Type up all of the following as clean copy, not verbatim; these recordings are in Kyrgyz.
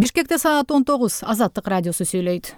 Бишкекте саат 19. Азаттык радиосу сүйлөйт.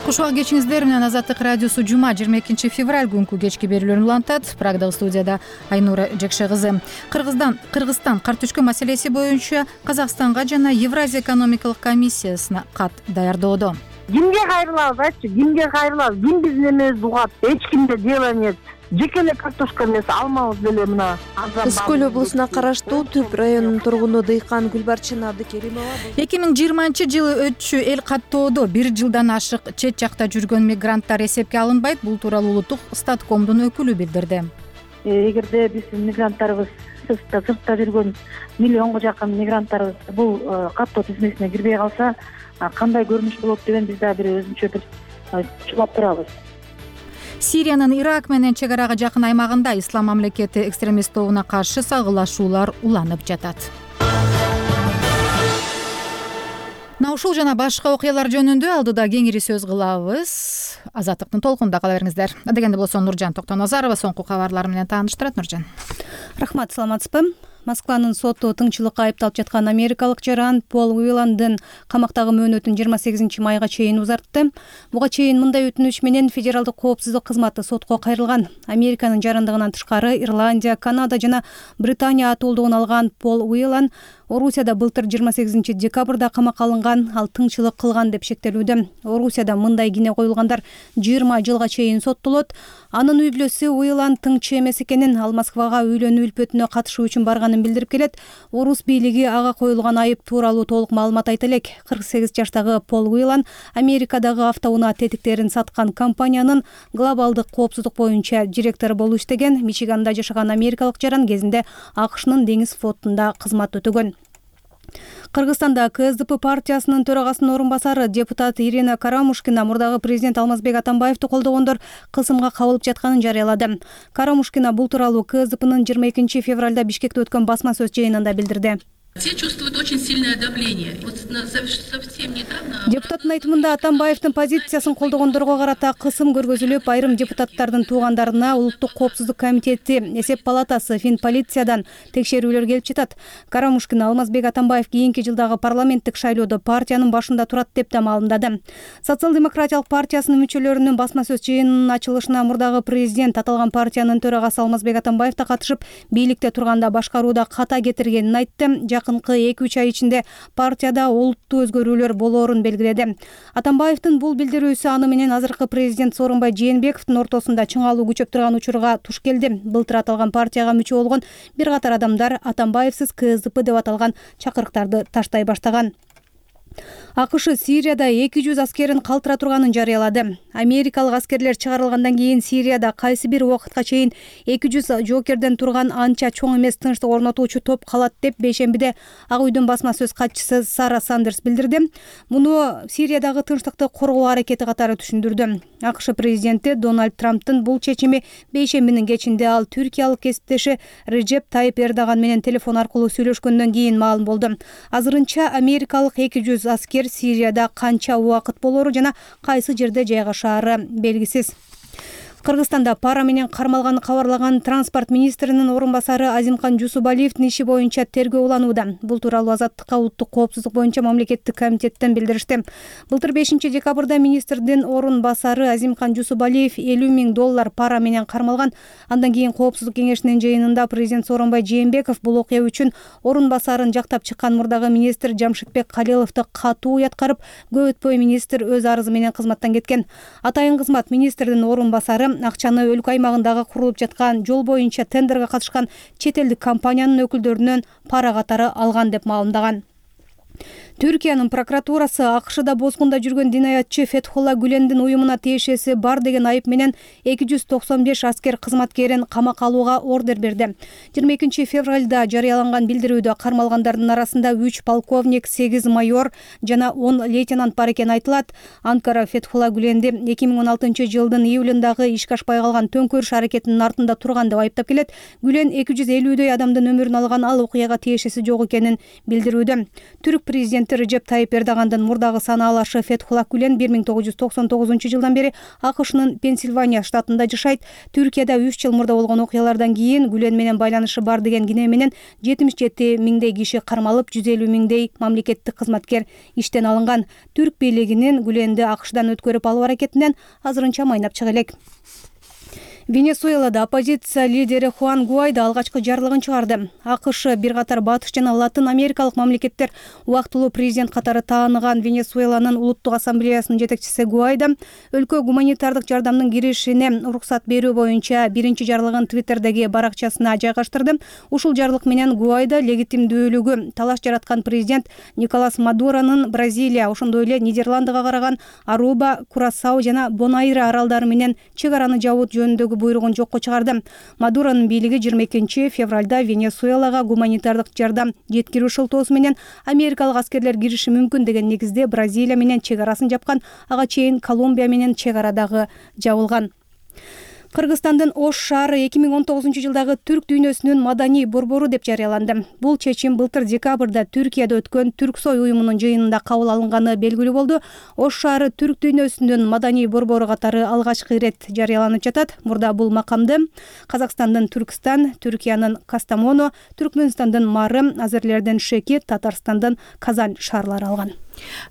Кушуак кечиңиздер менен Азаттык радиосу жума 22 февраль күнкү кечки берүүлөрүн улантат. Прагдагы студияда Айнура Жекше кызы. Кыргызстан кар түшкөн маселеси боюнча Казакстанга жана Евразия экономикалык комиссиясына кат даярдоодо. Кимге кайрылабыз, айтчы, кимге кайрылабыз? Ким биздин эмебизди угат? Эч кимде дело нет. Жеке эле картошка эмес, алмабыз деле мына. Ысык көл облусуна караштуу Түп районунун тургуну дыйкан Гүлбарчын Абдыкеримова 2020 өтчү эл каттоодо 1 жылдан ашык чет жакта жүргөн мигранттар эсепке алынбайт. Бул тууралуу улуттук статкомдун өкүлү билдирди. Эгерде биздин мигранттарыбыз сыртта жүргөн миллионго жакын мигранттарыбыз бул каттоо тизмесине кирбей калса, кандай көрүнүш болот деген биз да бир өзүнчө бир чулап турабыз. Сириянын Ирак менен чек арага жакын аймагында Ислам мамлекети экстремист тобуна каршы сагылашуулар уланып жатат. Ушул жана башка окуялар жөнүндө алдыда кеңири сөз кылабыз. Азаттыктын толкунунда кала бериңиздер. Дегенде болсо Нуржан Токтоназарова соңку кабарлар менен тааныштырат. Нуржан. Рахмат, саламатсызбы? Москванын соту тыңчылыкка айыпталып жаткан америкалык жаран Пол Уиландын камактагы мөөнөтүн 28 майга чейин узартты. Буга чейин мындай өтүнүч менен Федералдык коопсуздук кызматы сотко кайрылган. Американын жарандыгынан тышкары Ирландия, Канада жана Британия атуулдугун алган Пол Уилан Орусияда былтыр 28 декабрда камакка алынган, ал тыңчылык кылган деп шектелүүдө. Орусияда мындай кине коюлгандар 20 жылга чейин соттолот. Анын үй бүлөсү Уилан тыңчы эмес экенин, ал Москвага үйлөнүү үлпөтүнө катышуу үчүн барганын билдирип келет. Орус бийлиги ага коюлган айып тууралуу толук маалымат айта элек. 48 жаштагы Пол Уилан Америкадагы автоунаа тетиктерин саткан компаниянын глобалдык коопсуздук боюнча директору болуп иштеген. Мичиганда жашаган америкалык жаран кезинде АКШнын деңиз флотунда кызмат өтөгөн. Кыргызстанда КСДП партиясынын төрагасынын орун басары депутат Ирина Карамушкина мурдагы президент Алмазбек Атамбаевди колдогондор кысымга кабылып жатканын жарыялады. Карамушкина бул тууралуу КСДПнын 22 февралда Бишкекте өткөн басма сөз жыйынында билдирди. Все чувствуют очень сильное давление. Совсем недавно... Депутаттын айтымында Атамбаевдин позициясын колдогондорго карата кысым көргөзүлүп, айрым депутаттардын туугандарына Улуттук коопсуздук комитети, Эсеп палатасы, Финполициyaдан текшерүүлөр келип жатат. Карамушкин Алмазбек Атамбаев кийинки жылдагы парламенттик шайлоодо партиянын башында турат деп да маалымдады. Социал-демократиялык партиясынын мүчөлөрүнүн басма сөз жыйынынын ачылышына мурдагы президент аталган партиянын төрагасы Алмазбек Атамбаев да катышып, бийликте турганда башкарууда ката кетиргенин айтты. Жакынкы 2-3 ай ичинде партияда олуттуу өзгөрүүлөр болоорун белгиледи. Атамбаевдин бул билдирүүсү аны менен азыркы президент Сооронбай Жээнбековдун ортосунда чыңалуу күчөп турган учурга туш келди. Былтыр аталган партияга мүчө болгон бир катар адамдар Атамбаевсиз КСДП деп аталган чакырыктарды таштай баштаган. АКШ Сирияда 200 аскерин калтыра турганын жарыялады. Америкалык аскерлер чыгарылгандан кийин Сирияда кайсы бир убакытка чейин 200 жоокерден турган анча чоң эмес тынчтык орнотуучу топ калат деп бейшембиде Ак үйдүн басма сөз катчысы Сара Сандерс билдирди. Муну Сириядагы тынчтыкты коргоо аракети катары түшүндүрдү. АКШ президенти Дональд Трамптын бул чечими бейшембинин кечинде ал түркиялык кесиптеши Режеп Тайып Эрдоган менен телефон аркылуу сүйлөшкөндөн кийин маалым болду. Азырынча америкалык 200 аскер Сирияда канча убакыт болору жана кайсы жерде жайгашаары белгисиз. Кыргызстанда пара менен кармалганы кабарлаган транспорт министринин орун басары Азимкан Жусубалиевдин иши боюнча тергөө уланууда. Бул тууралуу Азаттыкка Улуттук коопсуздук боюнча мамлекеттик комитеттен билдиришти. Былтыр 5 декабрда министрдин орун басары Азимкан Жусубалиев $50,000 пара менен кармалган. Андан кийин коопсуздук кеңешинин жыйынында президент Сооронбай Жээнбеков бул окуя үчүн орун басарын жактап чыккан мурдагы министр Жамшитбек Калиловду катуу уяткарып, көп өтпөй министр өз арызы менен кызматтан кеткен. Атайын кызмат министрдин орун басары акчаны өлкө аймагындагы курулуп жаткан жол боюнча тендерге катышкан чет элдик компаниянын өкүлдөрүнөн пара катары алган деп маалымдаган. Түркиянын прокуратурасы АКШда бозгунда жүргөн динаятчы Фетхулла Гүлендин уюмуна тиешеси бар деген айып менен 295 аскер кызматкерин камакка алууга ордер берди. 22 февралда жарыяланган билдирүүдө кармалгандардын арасында 3 полковник, 8 майор жана 10 лейтенант бар экени айтылат. Анкара Фетхулла Гүленди 2016 жылдын июлундагы ишке ашпай калган төңкөрүш аракетинин артында турган деп айыптап келет. Гүлен 250дөй адамдын өмүрүн алган, ал окуяга тиешеси жок экенин билдирүүдө. Түрк президенти Президенти Режеп Тайип Эрдогандын мурдагы санаалашы Фетхулла Гүлен 1999 жылдан бери АКШнын Пенсильвания штатында жашайт. Түркияда 3 жыл мурда болгон окуялардан кийин Гүлен менен байланышы бар деген кине менен 77 миңдей киши кармалып, 150 миңдей мамлекеттик кызматкер иштен алынган. Түрк бийлигинин Гүленди АКШдан өткөрүп алуу аракетинен азырынча майнап чыга элек. Венесуэлада оппозиция лидери Хуан Гуайдо алгачкы жарлыгын чыгарды. АКШ бир катар батыш жана Латын Америкалык мамлекеттер убактылуу президент катары тааныган Венесуэланын улуттук ассамблеясынын жетекчиси Гуайдо өлкө гуманитардык жардамдын киришине уруксат берүү боюнча биринчи жарлыгын Твиттердеги баракчасына жайгаштырды. Ушул жарлык менен Гуайдо легитимдүүлүгү талаш жараткан президент Николас Мадуронун Бразилия, ошондой эле Нидерландыга караган Аруба, Курасау жана Бонайра аралдары менен чек араны жабуу жөнүндөгү буйругун жокко чыгарды. Мадуронун бийлиги 22 февралда Венесуэлага гуманитардык жардам жеткирүү шылтоосу менен америкалык аскерлер кириши мүмкүн деген негизде Бразилия менен чек арасын жапкан. Ага чейин Колумбия менен чек ара дагы жабылган. Кыргызстандын Ош шаары 2019 жылдагы түрк дүйнөсүнүн маданий борбору деп жарыяланды. Бул чечим былтыр декабрда Түркияда өткөн Түрксой уюмунун жыйынында кабыл алынганы белгилүү болду. Ош шаары түрк дүйнөсүнүн маданий борбору катары алгачкы ирет жарыяланып жатат. Мурда бул макамды Казакстандын Түркстан, Түркиянын Кастамону, Түркмөнстандын Марым, Азерлердин Шеки, Татарстандын Казань шаарлары алган.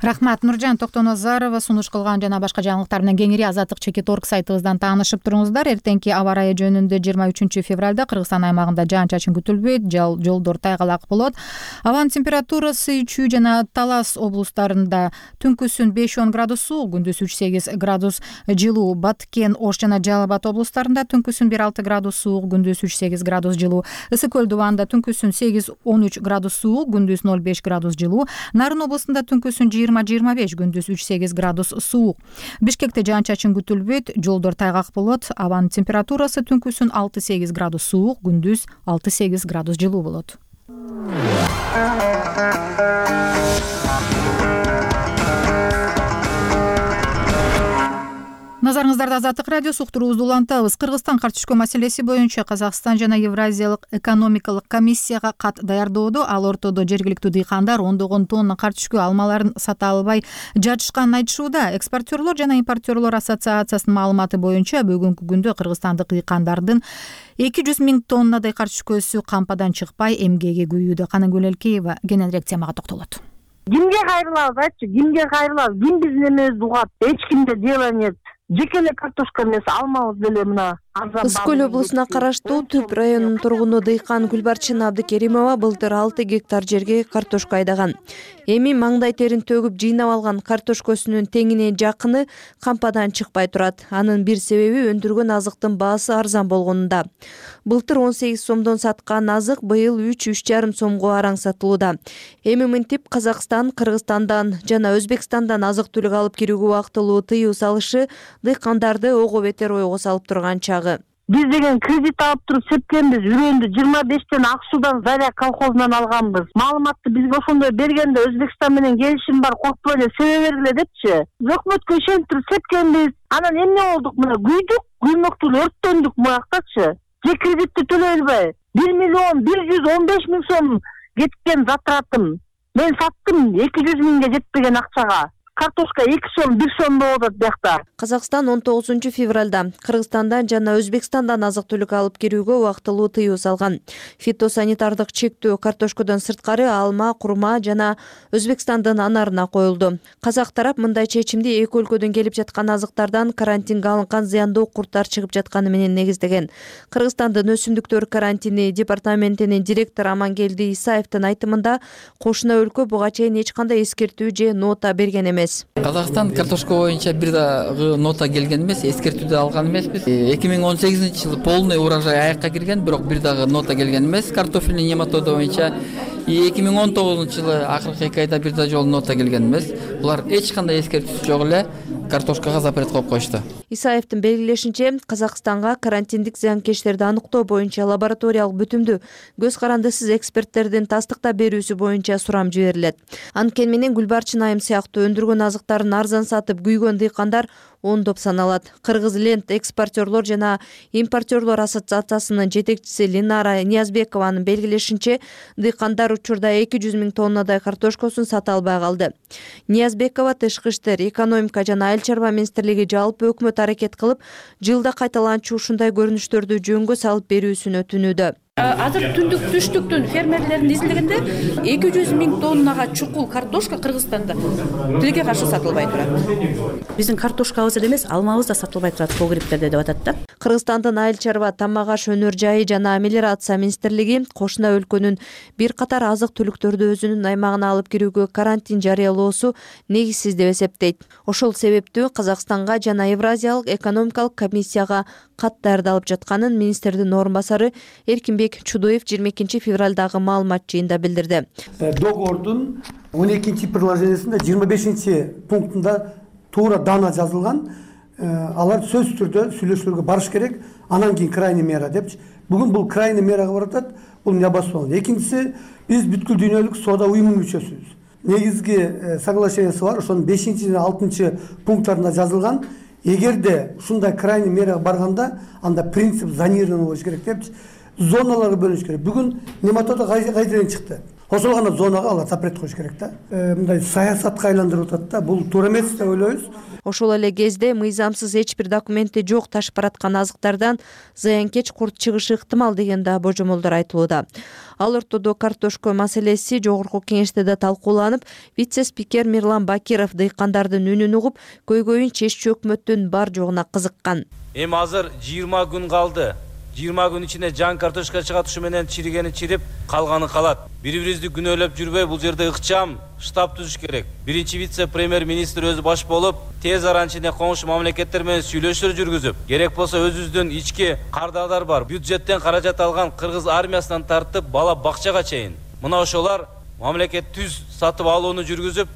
Рахмат. Нуржан Токтонозарова сунуш кылган жана башка жаңылыктар менен кеңири Азаттык.org сайтыбыздан таанышып туруңуздар. Эртеңки аба ырайы жөнүндө 23 февралда Кыргызстан аймагында жаан-чачын күтүлбөйт, жолдор тайгалак болот. Абанын температурасы Үчүү жана Талас облустарында түнкүсүн 5-10 градус суук, күндүз 3-8 градус жылуу. Баткен, Ош жана Жалал Абад облустарында түнкүсүн 1-6 градус суук, күндүз 3-8 градус жылуу. Ысык көл дубанда түнкүсүн 8-13 градус суук, күндүз 0-5 градус жылуу. Нарын облустунда түнкүсүн 20-25, күндүз 3-8 градус суук. Бишкекте жаан-чачын күтүлбөйт, жолдор тайгак болот. Абанын температурасы түнкүсүн 6-8 градус суук, күндүз 6-8 градус жылуу болот. Назарыңыздарда Азаттык радиосу уктуруубузду улантабыз. Кыргызстан картөшкө маселеси боюнча Казакстан жана Евразиялык экономикалык комиссияга кат даярдоодо. Ал ортодо жергиликтүү дыйкандар ондогон тонна картөшкө алмаларын сата албай жатышканын айтышууда. Экспортерлор жана импортерлор ассоциациясынын маалыматы боюнча бүгүнкү күндө кыргызстандык дыйкандардын 200 миң тоннадай картөшкөсү кампадан чыкпай эмгеги күйүүдө. Каныгүл Элкеева кененирээк темага токтолот. Кимге кайрылабыз айтчы, кимге кайрылабыз? Ким биздин эмебизди угат? Эч кимде дело нет. Жеке эле картошка эмес, алмабыз деле мына Ысык көл облусуна караштуу Түп районунун тургуну дыйкан Гүлбарчын Абдыкеримова былтыр 6 гектар жерге картошка айдаган. Эми маңдай терин төгүп жыйнап алган картошкосунун теңине жакыны кампадан чыкпай турат. Анын бир себеби өндүргөн азыктын баасы арзан болгонунда. Былтыр 18 сомдон саткан азык быйыл 3-3,5 сомго араң сатылууда. Эми мынтип Казакстан, Кыргызстандан жана Өзбекстандан азык-түлүк алып кирүүгө убактылуу тыюу салышы дыйкандарды ого бетер ойго салып турган чагы. Биз деген кредит алып туруп сепкенбиз. Үрөндү 25тен Ак Судан Заря колхозунан алганбыз. Маалыматты бизге ошондой бергенде Өзбекстан менен келишим бар, коркпой эле себе бергиле депчи. Өкмөткө ишенип туруп сепкенбиз. Анан эмне болдук? Мына күйдүк, күймөктү өрттөндүк буяктачы. Же кредитти төлөй албай 1,115 миң сом кеткен затратым. Мен саттым 200 миңге жетпеген акчага. Картошка 2 сом, 1 сом болот биякта. Казакстан 19 февралда Кыргызстандан жана Өзбекстандан азык-түлүк алып кирүүгө убактылуу тыюу салган. Фитосанитардык чектөө картошкодон сырткары алма, курма жана Өзбекстандын анарына коюлду. Казак тарап мындай чечимди эки өлкөдөн келип жаткан азыктардан карантинге алынган зыяндуу курттар чыгып жатканы менен негиздеген. Кыргызстандын өсүмдүктөр карантини департаментинин директору Амангелди Исаевдин айтымында кошуна өлкө буга чейин эч кандай эскертүү же нота берген эмес. Казакстан картошка боюнча бир дагы нота келген эмес, эскертүүдө алган эмеспиз. 2018-жылы полный урожай аякка кирген, бирок бир дагы нота келген эмес картофельный нематода боюнча. 2019-жылы акыркы 2 айда бир да жолу нота келген эмес. Булар эч кандай эскертүүсү жок эле картошкага запрет коюп коюшту. Исаевдин белгилешинче, Казакстанга карантиндик зыянкечтерди аныктоо боюнча лабораториялык бүтүмдү көз карандысыз эксперттердин тастыктап берүүсү боюнча сурам жиберилет. Анткени менен Гүлбарчын айым сыяктуу өндүргөн азыктарын арзан сатып күйгөн дыйкандар ондоп саналат. Кыргыз лент экспортерлор жана импортерлор ассоциациясынын жетекчиси Линара Ниязбекованын белгилешинче, дыйкандар учурда 200 000 тоннадай картошкосун сата албай калды. Ниязбекова тышкы иштер, экономика жана айыл чарба министрлиги жалпы өкмөт аракет кылып, жылда кайталанчу ушундай көрүнүштөрдү жөнгө салып берүүсүн өтүнүүдө. Азыр түндүк түштүктөн фермерлердин изилдегенде 200 000 тоннага чукул картошка Кыргызстанда тилекке каршы сатылбай турат. Биздин картошкабыз эле эмес, алмабыз да сатылбай турат погребтерде деп атат да. Кыргызстандын айыл чарба, тамак аш өнөр жайы жана мелиорация министрлиги кошуна өлкөнүн бир катар азык түлүктөрдү өзүнүн аймагына алып кирүүгө карантин жарыялоосу негизсиз деп эсептейт. Ошол себептүү Казакстанга жана Евразиялык экономикалык комиссияга кат даярдалып жатканын министрдин орун басары Эркинбек Чудоев 22 февралдагы маалымат жыйында билдирди. Договордун 12 приложениясында 25 пунктунда туура дана жазылган. Алар сөз түрдө сүйлөшүүлөргө барыш керек, анан кийин крайний мера депчи. Бүгүн бул крайний мерага баратат, бул необоснованно. Экинчиси, биз бүткүл дүйнөлүк соода уюмунун мүчөсүбүз. Негизги соглашениясы бар, ошонун 5 жана 6 пункттарында жазылган. Эгерде ушундай крайний мерага барганда, анда принцип зонирования болуш керек депчи. Зоналарга бөлүнүш керек. Бүгүн нематода кайдан чыкты? Ошол гана зонага алар запрет коюш керек да. Мындай саясатка айландырып атат да. Бул туура эмес деп ойлойбуз. Ошол эле кезде мыйзамсыз эч бир документи жок ташып бараткан азыктардан зыянкеч курт чыгышы ыктымал деген да божомолдор айтылууда. Ал ортодо картошка маселеси жогорку кеңеште да талкууланып, вице-спикер Мирлан Бакиров дыйкандардын үнүн угуп, көйгөйүн чеччү өкмөттүн бар жогуна кызыккан. Эми азыр 20 күн калды. 20 күн ичинде жан картошка чыгат, ушу менен чиригени чирип, калганы калат. Бири-бирибизди күнөөлөп жүрбөй, бул жерде ыкчам штаб түзүш керек. Биринчи вице-премьер-министр өзү баш болуп, тез арада ичинде коңшу мамлекеттер менен сүйлөшүүлөр жүргүзүп, керек болсо өзүбүздүн ички кардарлар бар. Бюджеттен каражат алган кыргыз армиясынан тартып, бала бакчага чейин. Мына ошолар мамлекет түз сатып алууну жүргүзүп,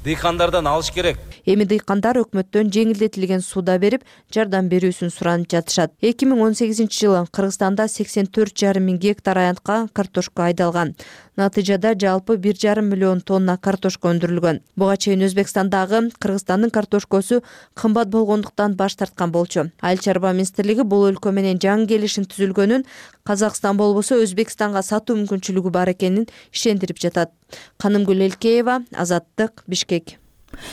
дыйкандардан алыш керек. Эми дыйкандар өкмөттөн жеңилдетилген сууда берип, жардам берүүсүн суранып жатышат. 2018-жылы Кыргызстанда 84,5 мың гектар аянтка картошка айдалган. Натыйжада жалпы 1,5 миллион тонна картошка өндүрүлгөн. Буга чейин Өзбекстандагы Кыргызстандын картошкосу кымбат болгондуктан баш тарткан болчу. Айыл чарба министрлиги бул өлкө менен жаңы келишим түзүлгөнүн, Казакстан болбосо Өзбекстанга сатуу мүмкүнчүлүгү бар экенин ишендирип жатат. Канымгүл Элкеева, Азаттык, Бишкек.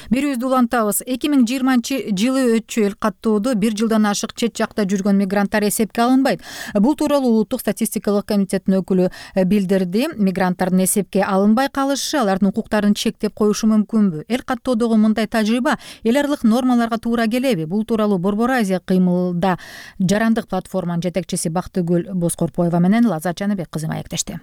Берүүбүздү улантабыз. 2020-жылы өтчү эл каттоодо 1 жылдан ашык чет жакта жүргөн мигранттар эсепке алынбайт. Бул тууралуу Улуттук статистикалык комитеттин өкүлү билдирди. Мигранттардын эсепке алынбай калышы алардын укуктарын чектеп коюшу мүмкүнбү? Эл каттоодогу мындай тажрыйба эл аралык нормаларга туура келеби? Бул тууралуу Борбор Азия кыймылда жарандык платформанын жетекчиси Бактыгүл Боскорпоева менен Лаззат Жаныбек кызы маектешти.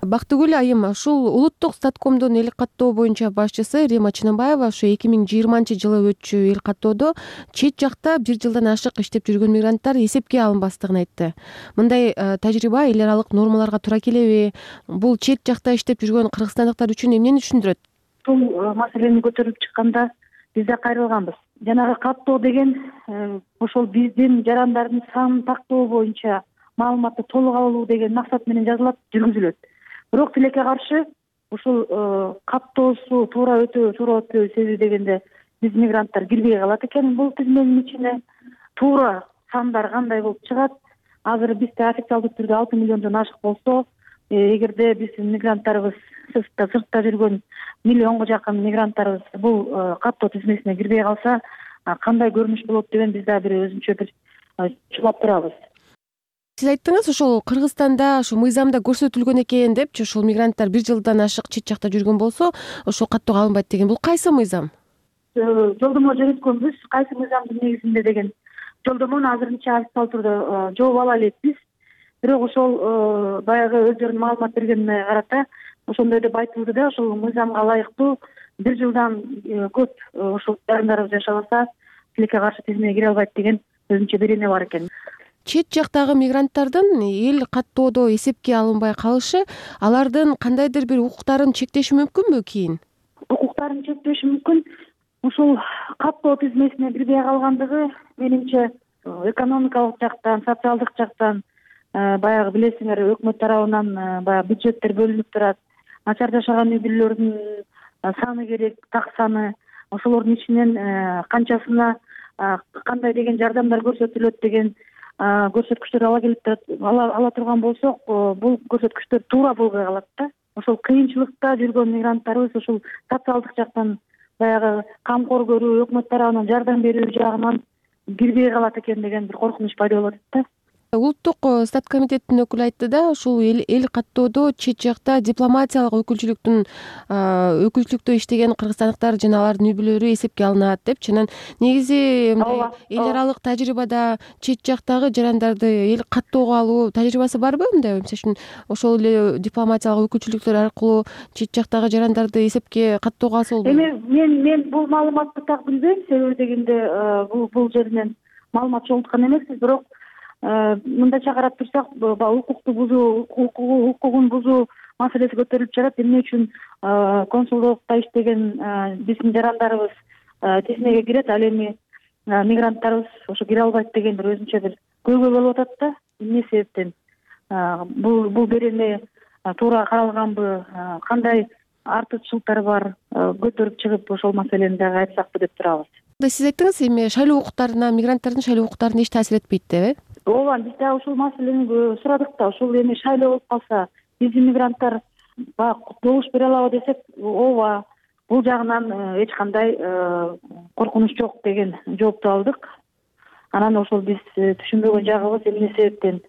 Бактыгүл айым, ушул Улуттук статкомдун эл каттоо боюнча башчысы Рима Чыныбаева ушу 2020-жылы өтчү эл каттоодо чет жакта 1 жылдан ашык иштеп жүргөн мигранттар эсепке алынбастыгын айтты. Мындай тажрыйба эл аралык нормаларга туура келеби? Бул чет жакта иштеп жүргөн кыргызстандыктар үчүн эмнени түшүндүрөт? Бул маселени көтөрүлүп чыкканда биз да кайрылганбыз. Жанагы каттоо деген ошол биздин жарандардын санын тактоо боюнча маалыматты толук алуу деген максат менен жазылат, жүргүзүлөт. Бирок тилекке каршы ушул каттоосу туура өтпөө себеби дегенде биз мигранттар кирбей калат экен бул тизменин ичине. Туура сандар кандай болуп чыгат? Азыр бизде официалдуу түрдө 6 миллиондон ашык болсо, эгерде биздин мигранттарыбыз сыртта жүргөн миллионго жакын мигранттарыбыз бул каттоо тизмесине кирбей калса, кандай көрүнүш болот деген биз да бир өзүнчө бир чулап турабыз. Сиз айттыңыз, ошол Кыргызстанда ушу мыйзамда көрсөтүлгөн экен депчи, ушул мигранттар 1 жылдан ашык чет жакта жүргөн болсо, ошол каттоого алынбайт деген. Бул кайсы мыйзам? Жолдомо жөнөткөнбүз, кайсы мыйзамдын негизинде деген жолдомону азырынча официалдуу түрдө жооп ала элекпиз. Бирок ошол баягы өздөрүнүн маалымат бергенине карата ошондой деп айтылды да, ошол мыйзамга ылайыктуу 1 жылдан көп ошол жарандарыбыз жашабаса, тилекке каршы тизмеге кире албайт деген өзүнчө берене бар экен. Чет жактагы мигранттардын эл каттоодо эсепке алынбай калышы алардын кандайдыр бир укуктарын чектеши мүмкүнбү кийин? Укуктарын чектеши мүмкүн. Ушул каттоо тизмесине кирбей калгандыгы менимче экономикалык жактан, социалдык жактан баягы билесиңер, өкмөт тарабынан баягы бюджеттер бөлүнүп турат. Начар жашаган үй бүлөлөрдүн саны керек, так саны. Ошолордун ичинен канчасына кандай деген жардамдар көрсөтүлөт деген көрсөткүчтөр ала турган болсок, бул көрсөткүчтөр туура болбой калат да. Ошол кыйынчылыкта жүргөн мигранттарыбыз ушул социалдык жактан баягы камкор көрүү, өкмөт тарабынан жардам берүү жагынан кирбей калат экен деген бир коркунуч пайда болуп атат да. Улуттук стат комитеттин өкүлү айтты да, ушул эл каттоодо чет жакта дипломатиялык өкүлчүлүктө иштеген кыргызстандыктар жана алардын үй-бүлөлөрү эсепке алынат депчи. Анан негизи эл аралык тажрыйбада чет жактагы жарандарды эл каттоого алуу тажрыйбасы барбы? Мындай мисалы үчүн ошол эле дипломатиялык өкүлчүлүктөр аркылуу чет жактагы жарандарды эсепке каттоого алса болбойбу? Мен бул маалыматты так билбейм, себеби дегенде бул жеринен маалымат чогулткан эмеспиз, бирок мындайча карап турсак, укугун бузуу маселеси көтөрүлүп жатат. Эмне үчүн консулдукта иштеген биздин жарандарыбыз тизмеге кирет, ал эми мигранттарыбыз ошо кире албайт деген бир өзүнчө бир көйгөй болуп атат да. Эмне себептен бул берене туура каралганбы, кандай артыкчылыктары бар, көтөрүп чыгып ошол маселени дагы айтсакпы деп турабыз. Сиз айттыңыз, эми шайлоо укуктарына, мигранттардын шайлоо укуктарына эч таасир этпейт деп, Ооба, биз дагы ушул маселени сурадык да. Ушул эми шайлоо болуп калса, биздин мигранттар добуш бере алабы десек, ооба, бул жагынан эч кандай коркунуч жок деген жоопту алдык. Анан ошол биз түшүнбөгөн жагыбыз эмне себептен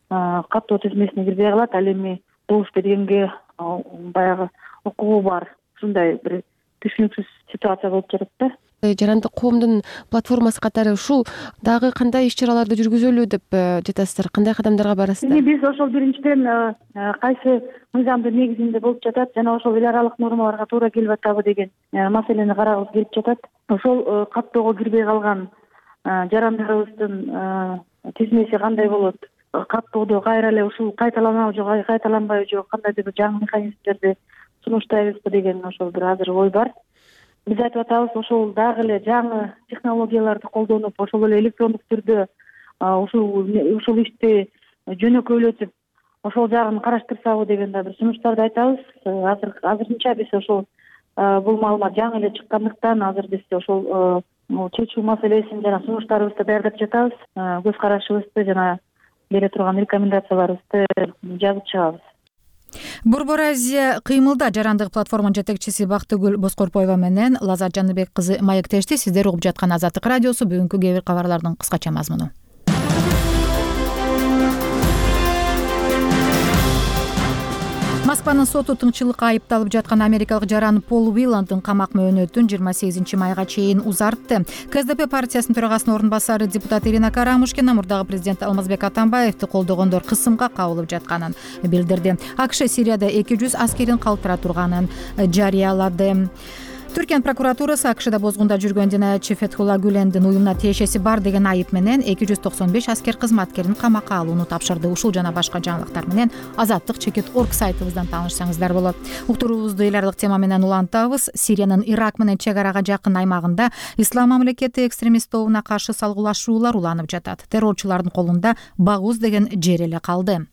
каттоо тизмесине кирбей калат, ал эми добуш бергенге баягы укугу бар. Ушундай бир түшүнүксүз ситуация болуп жатат да. Жарандык коомдун платформасы катары ушул дагы кандай иш-чараларды жүргүзөлү деп жатасыздар? Кандай кадамдарга барасыздар? Биз ошол биринчиден кайсы мыйзамдын негизинде болуп жатат жана ошол эл аралык нормаларга туура келип атабы деген маселени карагыбыз келип жатат. Ошол каттоого кирбей калган жарандарыбыздын тизмеси кандай болот? Каттоодо кайра эле ушул кайталанабы жок, кайталанбайбы жок, кандайдыр бир жаңы механизмдерди сунуштайбызбы деген ошол бир азыр ой бар. Биз айтып атабыз, ошол дагы эле жаңы технологияларды колдонуп, ошол эле электрондук түрдө ушул ишти жөнөкөйлөтүп, ошол жагын караштырсабы деген да бир сунуштарды айтабыз. Азырынча биз ошол бул маалымат жаңы эле чыккандыктан азыр биз ошол чечүү маселесин жана сунуштарыбызды даярдап жатабыз. Көз карашыбызды жана бере турган рекомендацияларыбызды жазып чыгабыз. Борбор Азия кыймылда жарандык платформанын жетекчиси Бактыгүл Боскорпоева менен Лазат Жаныбек кызы маектешти. Сиздер угуп жаткан Азаттык радиосу. Бүгүнкү кээ бир кабарлардын кыскача мазмуну. Москванын соту тыңчылыкка айыпталып жаткан америкалык жаран Пол Уиландын камак мөөнөтүн 28 майга чейин узартты. КСДП партиясынын төрагасынын орун басары депутат Ирина Карамушкина мурдагы президент Алмазбек Атамбаевди колдогондор кысымга кабылып жатканын билдирди. АКШ Сирияда 200 аскерин калтыра турганын жарыялады. Түркиянын прокуратурасы АКШда бозгунда жүргөн динаятчы Фетхулла Гүлендин уюмуна тиешеси бар деген айып менен 295 аскер кызматкерин камакка алууну тапшырды. Ушул жана башка жаңылыктар менен Азаттык.org сайтыбыздан таанышсаңыздар болот. Уктуруубузду эл аралык тема менен улантабыз. Сириянын Ирак менен чек арага жакын аймагында Ислам мамлекети экстремист тобуна каршы салгылашуулар уланып жатат. Террорчулардын колунда Багуз деген жер эле калды.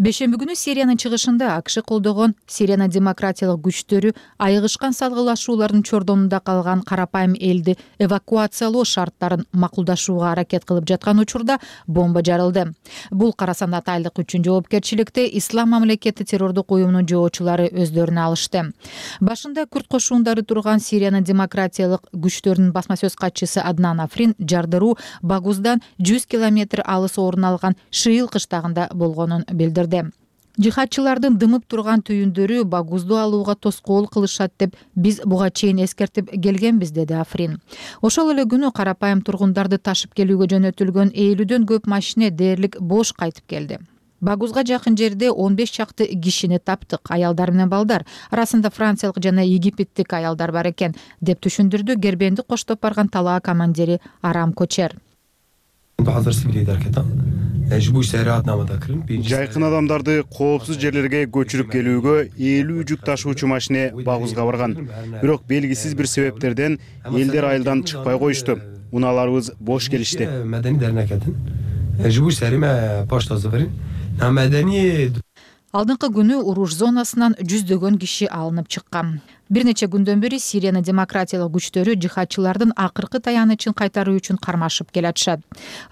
Бешемби күнү Сириянын чыгышында АКШ колдогон Сириянын демократиялык күчтөрү айыгышкан салгылашуулардын чордонунда калган карапайым элди эвакуациялоо шарттарын макулдашууга аракет кылып жаткан учурда бомба жарылды. Бул карасан атайлык үчүн жоопкерчиликти Ислам мамлекети террордук уюмунун жоочулары өздөрүнө алышты. Башында күрд кошуундары турган Сириянын демократиялык күчтөрүнүн басма сөз катчысы Аднан Африн жардыруу Багуздан 100 километр алыс орун алган Шыйыл кыштагында болгонун билдирди. Жихадчылардын дымып турган түйүндөрү Багузду алууга тоскоол кылышат деп биз буга чейин эскертип келгенбиз, деди Африн. Ошол эле күнү карапайым тургундарды ташып келүүгө жөнөтүлгөн 50дөн көп машина дээрлик бош кайтып келди. Багузга жакын жерде 15 чакты кишини таптык, аялдар менен балдар. Арасында франциялык жана египеттик аялдар бар экен, деп түшүндүрдү Гербенди коштоп барган талаа командири Арам Кочер. Жайкын адамдарды коопсуз жерлерге көчүрүп келүүгө 50 жүк ташуучу машина Багузга барган. Бирок белгисиз бир себептерден элдер айылдан чыкпай коюшту. Унааларыбыз бош келишти. Алдыңкы күнү уруш зонасынан жүздөгөн киши алынып чыккан. Бир нече күндөн бери Сириянын демократиялык күчтөрү жихадчылардын акыркы таянычын кайтаруу үчүн кармашып келатышат.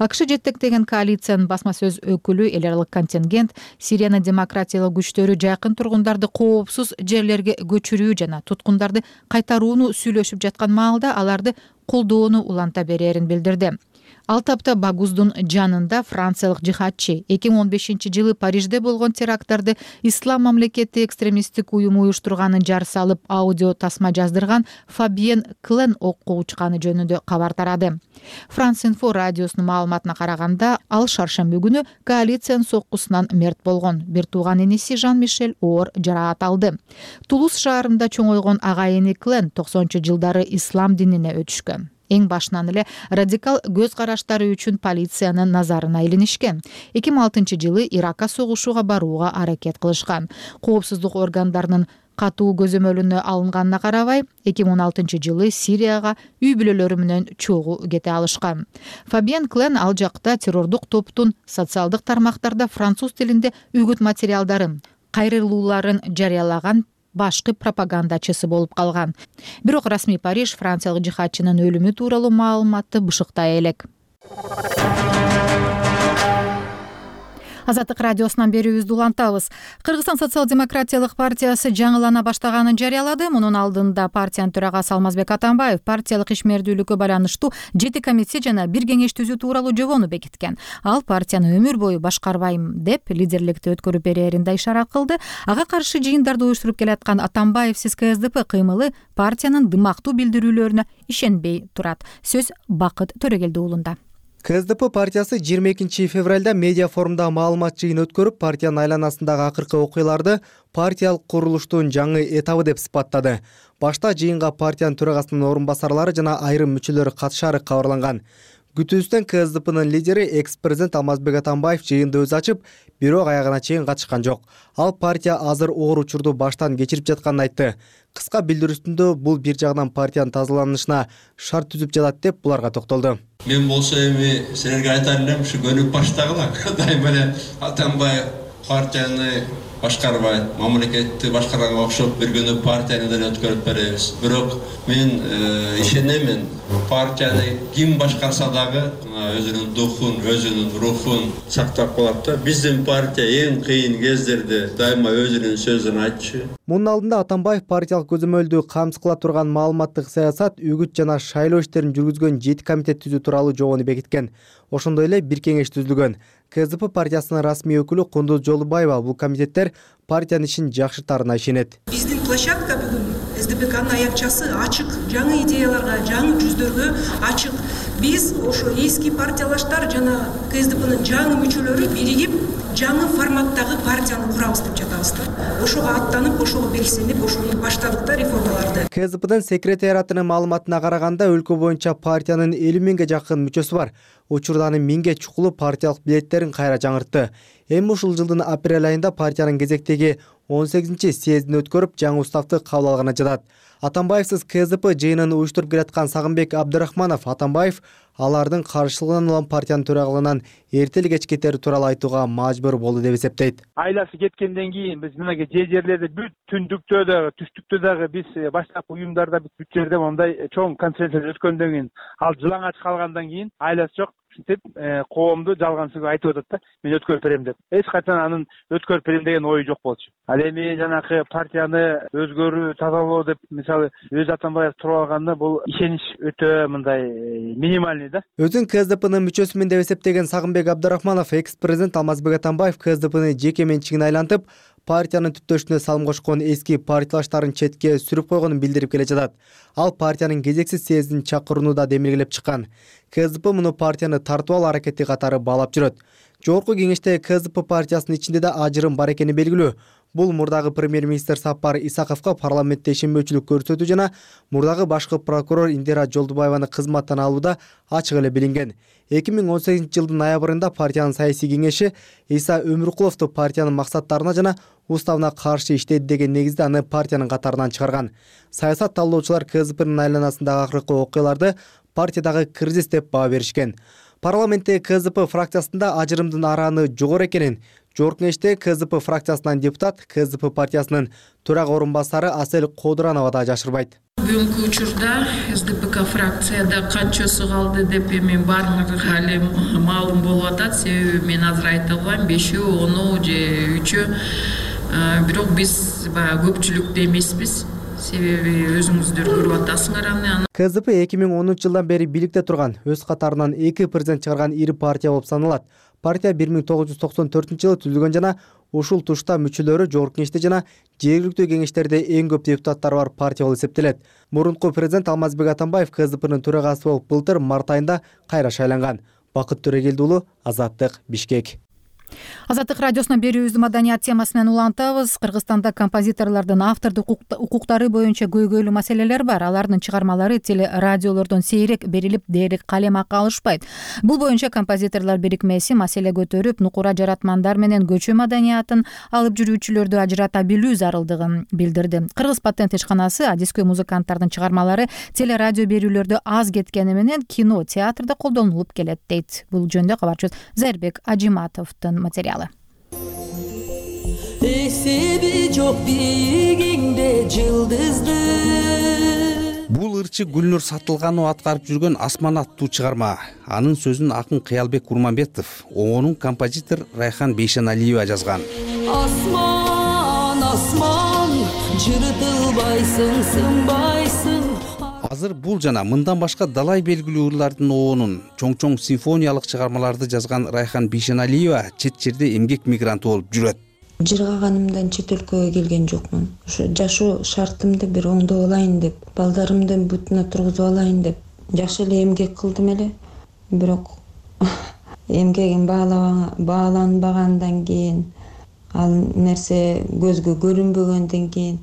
АКШ жетектеген коалициянын басма сөз өкүлү эл аралык контингент Сириянын демократиялык күчтөрү жакын тургундарды коопсуз жерлерге көчүрүү жана туткундарды кайтарууну сүйлөшүп жаткан маалда аларды колдоону уланта берерин билдирди. Ал тапта Багуздун жанында франциялык жихадчы 2015-жылы Парижде болгон теракттарды Ислам мамлекети экстремисттик уюму уюштурганын жар салып аудио тасма жаздырган Фабиен Клен окко учканы жөнүндө кабар тарады. France-Info радиосунун маалыматына караганда, ал шаршемби күнү коалициянын соккусунан мерт болгон. Бир тууган иниси Жан-Мишель оор жараат алды. Тулуз шаарында чоңойгон агайыны Клен 90-жылдары ислам динине өтүшкөн. Эң башынан эле радикал көз караштары үчүн полициянын назарына илинишкен. 2006-жылы Иракка согушууга барууга аракет кылышкан. Коопсуздук органдарынын катуу көзөмөлүнө алынганына карабай, 2016-жылы Сирияга үй бүлөлөрү менен чогуу кете алышкан. Фабиен Клен ал жакта террордук топтун социалдык тармактарда француз тилинде үгүт материалдарын, кайрылууларын жарыялаган башкы пропагандачысы болуп калган. Бирок расмий Париж франциялык жихадчынын өлүмү тууралуу маалыматты бышыктай элек. Азаттык радиосунан берүүбүздү улантабыз. Кыргызстан социал-демократиялык партиясы жаңылана баштаганын жарыялады. Мунун алдында партиянын төрагасы Алмазбек Атамбаев партиялык ишмердүүлүккө байланыштуу 7 комиссия жана 1 кеңеш түзүү тууралуу жобону бекиткен. Ал партияны өмүр бою башкарбайм деп лидерликти өткөрүп берерин да ишара кылды. Ага каршы жыйындарды уюштуруп келаткан Атамбаевсиз КСДП кыймылы партиянын дымактуу билдирүүлөрүнө ишенбей турат. Сөз Бакыт Төрөгелди уулунда. КСДП партиясы 22 февралда медиа форумда маалымат жыйын өткөрүп, партиянын айланасындагы акыркы окуяларды партиялык курулуштун жаңы этабы деп сыпаттады. Башта жыйынга партиянын төрагасынын орун басарлары жана айрым мүчөлөрү катышары кабарланган. Күтүүбүздөн КСДПнын лидери экс-президент Алмазбек Атамбаев жыйынды өзү ачып, бирок аягына чейин катышкан жок. Ал партия азыр оор учурду баштан кечирип жатканын айтты. Кыска билдирүүсүндө бул бир жагынан партиянын тазаланышына шарт түзүп жатат деп буларга токтолду. Мен болсо эми силерге айтар элем, ушу көнүп баштагыла. Дайыма эле Атамбаев партияны башкарбайт, мамлекетти башкарганга окшоп бир күнү партияны деле өткөрүп беребиз. Бирок мен ишенемин, партияны ким башкарса дагы өзүнүн духун, өзүнүн рухун сактап калат да. Биздин партия эң кыйын кездерде дайыма өзүнүн сөзүн айтчу. Мунун алдында Атамбаев партиялык көзөмөлдү камсыз кыла турган маалыматтык саясат, үгүт жана шайлоо иштерин жүргүзгөн 7 комитет түзүү тууралуу жобону бекиткен. Ошондой эле бир кеңеш түзүлгөн. КСДП партиясынын расмий өкүлү Кундуз Жолубаева бул комитеттер партиянын ишин жакшыртаарына ишенет. Биздин площадка бүгүн СДПКнын аякчасы ачык, жаңы идеяларга, жаңы жүздөргө ачык. Биз ошо эски партиялаштар жана КСДПнын жаңы мүчөлөрү биригип, жаңы форматтагы партияны курабыз деп жатабыз да. Ошого аттанып, ошого белсенип, ошону баштадык да реформаларды. КСДПдын секретариатынын маалыматына караганда өлкө боюнча партиянын 50 миңге жакын мүчөсү бар. Учурда анын 1000ге чукулу партиялык билеттерин кайра жаңыртты. Эми ушул жылдын апрель айында партиянын кезектеги 18-съездин өткөрүп, жаңы уставды кабыл алганы жатат. Атамбаевсиз КСДП жыйынын уюштуруп келаткан Сагынбек Абдырахманов Атамбаев алардын каршылыгынан улам партиянын төрагалыгынан эртели кеч кетери тууралуу айтууга мажбур болду деп эсептейт. Айласы кеткенден кийин биз мына жерлерде бүт түндүктө дагы, түштүктө дагы биз баштапкы уюмдарда бүт жерде мондай чоң конференция өткөндөн кийин, ал жылаңач калгандан кийин айласы жок деп коомду жалгансыз айтып атат да. Мен өткөрүп берем деп. Эч качан анын өткөрүп берем деген ою жок болчу. Ал эми жанакы партияны өзгөрүү, тазалоо деп мисалы өз Атамбаев туруп алганда бул ишенич өтө мындай минимальный да. Өзүн КСДПнын мүчөсүмүн деп эсептеген Сагынбек Абдырахманов экс-президент Алмазбек Атамбаев КСДПны жеке менчигине айлантып, партиянын түптөшүнө салым кошкон эски партиялаштарын четке сүрүп койгонун билдирип келе жатат. Ал партиянын кезексиз съездин чакырууну да демилгелеп чыккан. КСДП муну партияны тартып алуу аракети катары баалап жүрөт. Жогорку кеңеште КСДП партиясынын ичинде да ажырым бар экени белгилүү. Бул мурдагы премьер-министр Сапар Исаковго парламентте ишенбөөчүлүк көрсөтүү жана мурдагы башкы прокурор Индира Жолдубаеваны кызматтан алууда ачык эле билинген. 2018-жылдын ноябрында партиянын саясий кеңеши Иса Өмүркуловду партиянын максаттарына жана уставына каршы иштейт деген негизде аны партиянын катарынан чыгарган. Саясат талдоочулар КСДПнын айланасындагы акыркы окуяларды партиядагы кризис деп баа беришкен. Парламентте КСДП фракциясында ажырымдын арааны жогору экенин, Жогорку Кеңеште КЗП фракциясынан депутат, КЗП партиясынын төрага орун басары Асель Кодуранова да жашырбайт. Бүгүнкү учурда СДПК фракцияда канчасы калды деп эми баарыңарга эле маалым болуп атат. Себеби мен азыр айта албайм, 5-өө, 10-өө же 3-өө. Бирок биз баягы көпчүлүктө эмеспиз. Себеби өзүңүздөр көрүп атасыңар аны. КЗП 2010 жылдан бери бийликте турган, өз катарынан 2 президент чыгарган ири партия болуп саналат. Партия 1994 жылы түзүлгөн жана ушул тушта мүчөлөрү Жогорку Кеңеште жана жергиликтүү кеңештерде эң көп депутаттары бар партия болуп эсептелет. Мурунку президент Алмазбек Атамбаев КЗПнын төрагасы болуп былтыр март айында кайра шайланган. Бакыт Төрегелди уулу, Азаттык, Бишкек. Азаттык радиосуна берүүбүздү маданият темасы менен улантабыз. Кыргызстанда композиторлордун автордук укуктары боюнча көйгөйлүү маселелер бар. Алардын чыгармалары теле радиолордон сейрек берилип, дээрлик калем акы алышпайт. Бул боюнча композиторлор бирикмеси маселе көтөрүп, нукура жаратмандар менен көчө маданиятын алып жүрүүчүлөрдү ажырата билүү зарылдыгын билдирди. Кыргыз патент ишканасы адискөй музыканттардын чыгармалары теле радио берүүлөрдө аз кеткени менен кино, театрда колдонулуп келет дейт. Бул жөнүндө кабарчыбыз Зайырбек Ажиматовдун материалы. Эсеби жок бийигиңде жылдызды. Бул ырчы Гүлнур Сатылганова аткарып жүргөн Асман аттуу чыгарма. Анын сөзүн акын Кыялбек Курманбетов, оонун композитор Райхан Бейшеналиева жазган. Асман, асман, жыртылбайсың, сынбайсың. Азыр бул жана мындан башка далай белгилүү ырлардын оонун, чоң-чоң симфониялык чыгармаларды жазган Райхан Бейшеналиева чет жерде эмгек мигранты болуп жүрөт. Жыргаганымдан чет өлкөгө келген жокмун. Ушу жашоо шартымды бир оңдоп алайын деп, балдарымды бутуна тургузуп алайын деп жакшы эле эмгек кылдым эле. Бирок эмгегим бааланбагандан кийин, ал нерсе көзгө көрүнбөгөндөн кийин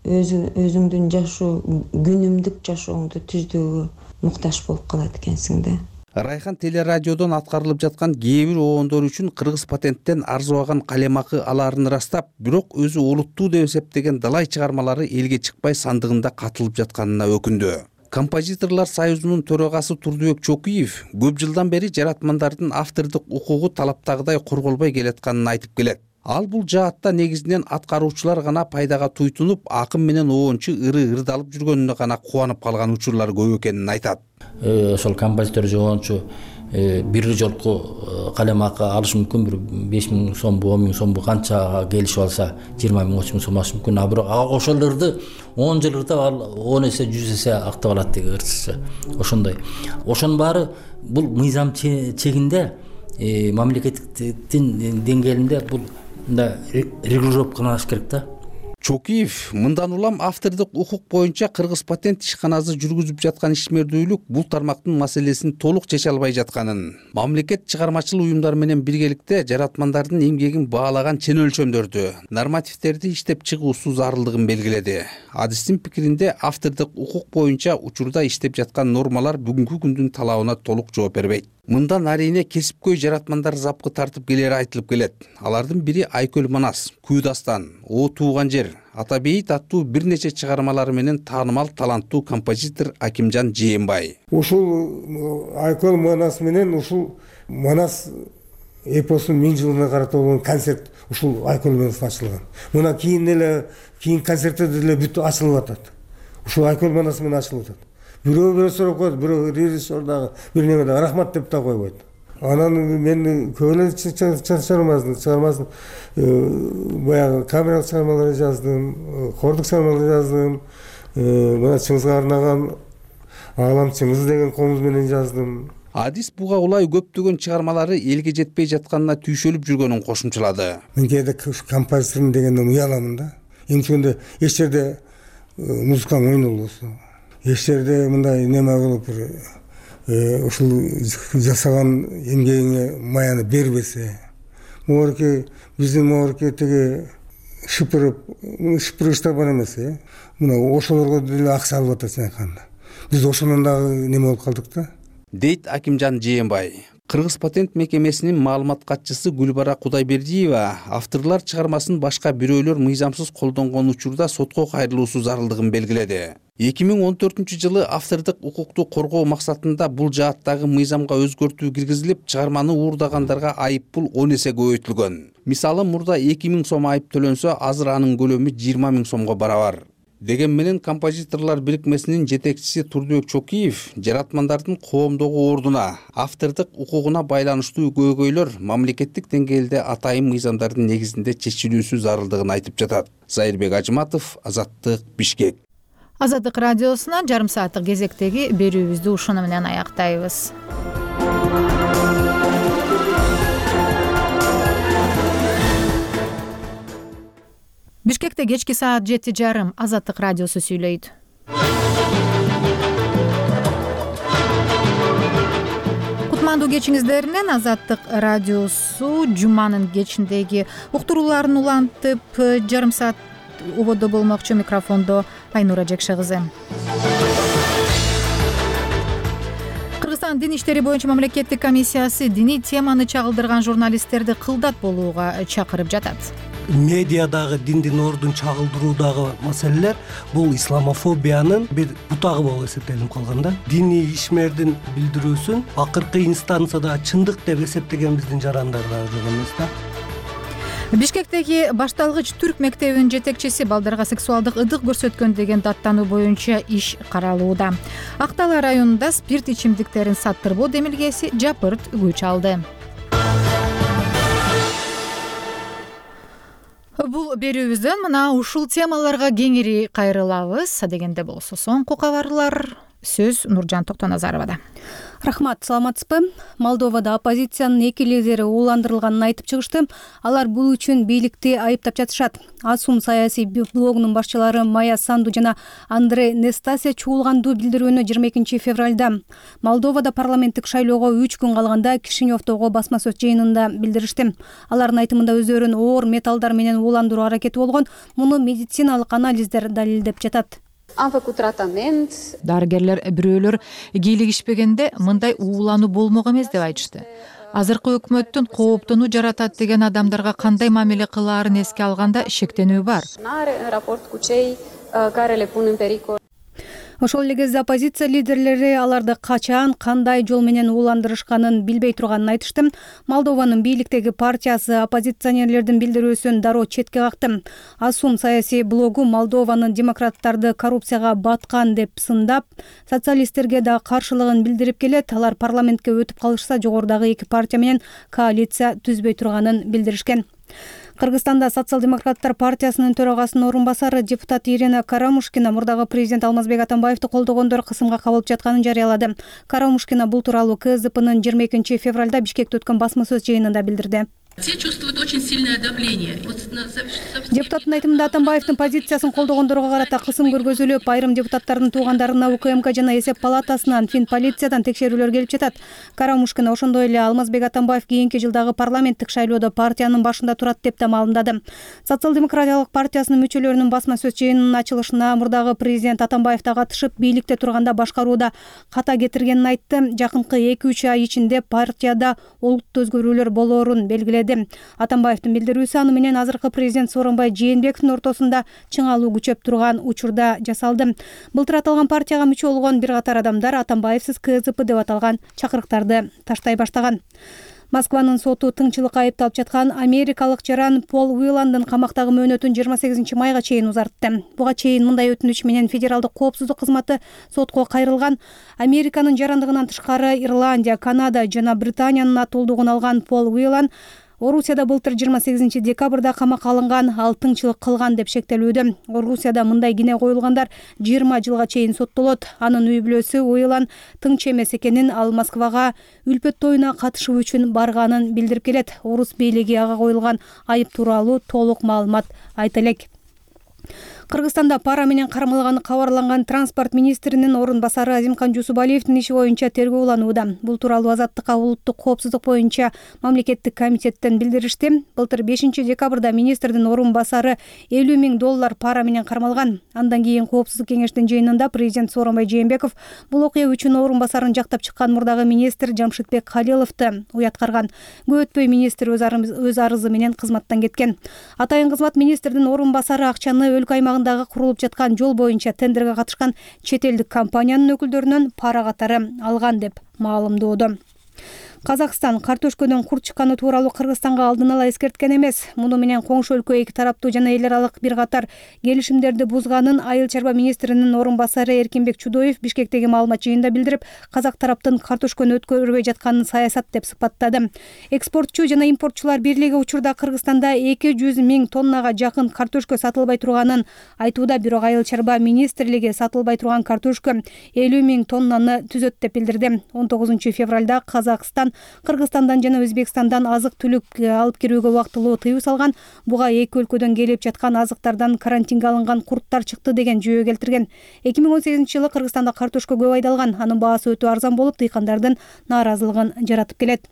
өзүңдүн жашоо, күнүмдүк жашооңду түздөөгө муктаж болуп калат экенсиң да. Райхан телерадиодон аткарылып жаткан кээ бир оондор үчүн Кыргыз патенттен арзыбаган калем акы алаарын ырастап, бирок өзү олуттуу деп эсептеген далай чыгармалары элге чыкпай сандыгында катылып жатканына өкүндү. Композиторлор союзунун төрагасы Турдубек Чокуев көп жылдан бери жаратмандардын автордук укугу талаптагыдай корголбой келатканын айтып келет. Ал бул жаатта негизинен аткаруучулар гана пайдага туйтунуп, акын менен оончу ырдалып жүргөнүнө гана кубанып калган учурлар көп экенин айтат. Ошол композитор же оончу бир жолку калем акы алыш мүмкүн, бир 5.000 сомбу, 10.000 сомбу канчага келишип алса, 20.000, 30.000 сом алыш мүмкүн. А бирок ошол ырды 10 жыл ырдап, ал 10 эсе, 100 эсе актап алат деги ырчысы. Ошондой. Ошонун баары бул мыйзам чегинде, мамлекеттин деңгээлинде бул регулировкаланыш керек да. Чокиев мындан улам автордук укук боюнча Кыргыз патент ишканасы жүргүзүп жаткан ишмердүүлүк бул тармактын маселесин толук чече албай жатканын, мамлекет чыгармачыл уюмдар менен биргеликте жаратмандардын эмгегин баалаган чен өлчөмдөрдү, нормативдерди иштеп чыгуусу зарылдыгын белгиледи. Адистин пикиринде автордук укук боюнча учурда иштеп жаткан нормалар бүгүнкү күндүн талабына толук жооп бербейт. Мындан арине кесипкөй жаратмандар запкы тартып келери айтылып келет. Алардын бири Айкөл Манас, Күү дастан, О тууган жер, Ата бейит аттуу бир нече чыгармалары менен таанымал таланттуу композитор Акимжан Жээнбай. Ушул Айкөл Манас менен ушул Манас эпосунун 1000 жылына карата болгон концерт ушул Айкөл Манас ачылган. Мына кийин концерттер деле бүт ачылып атат. Ушул Айкөл Манас менен ачылып атат. Бирөө сурап коет, бирөө режиссер дагы бир неме дагы рахмат деп да койбойт. Анан мен көбөлө чыгармасын баягы камералык чыгармаларды жаздым, хордук чыгармаларды жаздым. Мына Чыңгызга арнаган Аалам Чыңгыз деген комуз менен жаздым. Адис буга улай көптөгөн чыгармалары элге жетпей жатканына түйшөлүп жүргөнүн кошумчалады. Мен кээде композитор дегенден уяламын да. Эмчегенде эч жерде музыкам ойнолбосо, эч жерде мындай неме болуп ушул жасаган эмгегиңе маяны бербесе, могорки биздин могорки тиги шыпырыштар бар эмес, мына ошолорго деле акча алып атат айтканда. Биз ошондон дагы неме болуп калдык да. Дейт Акимжан Жээнбай. Кыргыз патент мекемесинин маалымат катчысы Гүлбара Кудайбердиева авторлор чыгармасын башка бирөөлөр мыйзамсыз колдонгон учурда сотко кайрылуусу зарылдыгын белгиледи. 2014-жылы автордук укукту коргоо максатында бул жааттагы мыйзамга өзгөртүү киргизилип, чыгарманы уурдагандарга айып пул 10 эсе көбөйтүлгөн. Мисалы, мурда 2000 сом айып төлөнсө, азыр анын көлөмү 20 000 сомго барабар. Деген менен композиторлор бирикмесинин жетекчиси Турдубек Чокиев жаратмандардын коомдогу ордуна, автордук укугуна байланыштуу көйгөйлөр мамлекеттик деңгээлде атайын мыйзамдардын негизинде чечилүүсү зарылдыгын айтып жатат. Зайырбек Ажыматов, Азаттык, Бишкек. Азаттык радиосунан жарым сааттык кезектеги берүүбүздү ушуну менен аяктайбыз. Бишкекте кечки саат 7:30 Азаттык радиосу сүйлөйт. Кутмандуу кечиңиздер менен Азаттык радиосу жуманын кечиндеги уктурууларын улантып, жарым саат ободдо болмокчу. Микрофондо Айнура Жекшегызы. Кыргызстан дин иштери боюнча мамлекеттик комиссиясы диний теманы чагылдырган журналисттерди кылдат болууга чакырып жатат. Медиадагы диндин ордун чагылдыруудагы маселелер бул исламофобиянын бир бутагы болуп эсептелип калган да. Диний ишмердин билдирүүсүн акыркы инстанцияда чындык деп эсептегенбиздин жарандар да жок эмес да. Бишкектеги башталгыч түрк мектебинин жетекчиси балдарга сексуалдык ыдык көрсөткөн деген даттануу боюнча иш каралууда. Актала районунда спирт ичимдиктерин саттырбоо демилгеси жапырт күч алды. Бул берүүбүздөн мына ушул темаларга кеңири кайрылабыз. Дегенде болсо соңку кабарлар сөз Нуржан Токтоназаровада. Рахмат, саламатсызбы? Молдовада оппозициянын эки лидери ууландырылганын айтып чыгышты. Алар бул үчүн бийликти айыптап жатышат. Асум саясий блогунун башчылары Майя Санду жана Андрей Нестасия чуулгандуу билдирүүнү 22 февралда Молдовада парламенттик шайлоого 3 күн калганда Кишиневдогу басма сөз жыйынында билдиришти. Алардын айтымында өздөрүн оор металлдар менен ууландыруу аракети болгон. Муну медициналык анализдер далилдеп жатат. Дарыгерлер бирөөлөр кийлигишпегенде мындай уулануу болмок эмес деп айтышты. Азыркы өкмөттүн кооптонуу жаратат деген адамдарга кандай мамиле кылаарын эске алганда шектенүү бар. Ошол эле кезде оппозиция лидерлери аларды качан, кандай жол менен ууландырышканын билбей турганын айтышты. Молдованын бийликтеги партиясы оппозиционерлердин билдирүүсүн дароо четке какты. Асум саясий блогу Молдованын демократтарды коррупцияга баткан деп сындап, социалисттерге да каршылыгын билдирип келет. Алар парламентке өтүп калышса, жогорудагы эки партия менен коалиция түзбөй турганын билдиришкен. Кыргызстанда социал-демократтар партиясынын төрагасынын орун басары депутат Ирина Карамушкина мурдагы президент Алмазбек Атамбаевди колдогондор кысымга кабылып жатканын жарыялады. Карамушкина бул тууралуу КСДПнын 22 февралда Бишкекте өткөн басма сөз жыйынында билдирди. Все чувствуют очень сильное давление. Депутаттын айтымында Атамбаевдин позициясын колдогондорго карата кысым көргөзүлүп, айрым депутаттардын туугандарына УКМК жана эсеп палатасынан, Финполициядан текшерүүлөр келип жатат. Карамушкина ошондой эле Алмазбек Атамбаев кийинки жылдагы парламенттик шайлоодо партиянын башында турат деп да маалымдады. Социал-демократиялык партиясынын мүчөлөрүнүн басма сөз жыйынынын ачылышына мурдагы президент Атамбаев да катышып, бийликте турганда башкарууда ката кетиргенин айтты. Жакынкы 2-3 ай ичинде партияда олуттуу өзгөрүүлөр болоорун белгиледи. Атамбаевдин билдирүүсү аны менен азыркы президент Сооронбай Жээнбековдун ортосунда чыңалуу күчөп турган учурда жасалды. Былтыр аталган партияга мүчө болгон бир катар адамдар Атамбаевсиз КСДП деп аталган чакырыктарды таштай баштаган. Москванын соту тыңчылыкка айыпталып жаткан америкалык жаран Пол Уиландын камактагы мөөнөтүн 28 майга чейин узартты. Буга чейин мындай өтүнүч менен Федералдык коопсуздук кызматы сотко кайрылган. Американын жарандыгынан тышкары Ирландия, Канада жана Британиянын атуулдугун алган Пол Уиланд Орусияда былтыр 28 декабрда камакка алынган, ал тыңчылык кылган деп шектелүүдө. Орусияда мындай кине коюлгандар 20 жылга чейин соттолот. Анын үй бүлөсү Уилан тыңчы эмес экенин, ал Москвага үлпөт тоюна катышуу үчүн барганын билдирип келет. Орус бийлиги ага коюлган айып тууралуу толук маалымат айта элек. Кыргызстанда пара менен кармалганы кабарланган транспорт министринин орун басары Азимкан Жусупалиевдин иши боюнча тергөө уланууда. Бул тууралуу Азаттыкка улуттук коопсуздук боюнча мамлекеттик комитеттен билдиришти. Былтыр 5-декабрда министрдин орун басары $50 000 пара менен кармалган. Андан кийин коопсуздук кеңештин жыйынында президент Сооронбай Жээнбеков бул окуя үчүн орун басарын жактап чыккан мурдагы министр Жамшитбек Калиловду уяткарган. Көп өтпөй министр өз арызы менен кызматтан кеткен. Атайын кызмат министрдин орун басары акчаны өлкө аймагындагы курулуп жаткан жол боюнча тендерге катышкан чет элдик компаниянын өкүлдөрүнөн пара катары алган деп маалымдоодо. Казакстан картошкөдөн курт чыкканы тууралуу Кыргызстанга алдын ала эскерткен эмес. Муну менен коңшу өлкө эки тараптуу жана эл аралык бир катар келишимдерди бузганын Айыл чарба министринин орун басары Эркинбек Чудоев Бишкектеги маалымат жыйынында билдирип, казак тараптын картошкөнү өткөрбөй жатканын саясат деп сыпаттады. Экспортчу жана импортчулар бирлиги учурда Кыргызстанда 200 000 тоннага жакын картошкө сатылбай турганын айтууда, бирок Айыл чарба министрлиги сатылбай турган картошкө 50 000 тоннаны түзөт деп билдирди. 19 февралда Казакстан Кыргызстандан жана Өзбекстандан азык-түлүк алып кирүүгө убактылуу тыюу салган. Буга эки өлкөдөн келип жаткан азыктардан карантинге алынган курттар чыкты деген жүйө келтирген. 2018-жылы Кыргызстанда картошка көп айдалган. Анын баасы өтө арзан болуп, дыйкандардын нааразылыгын жаратып келет.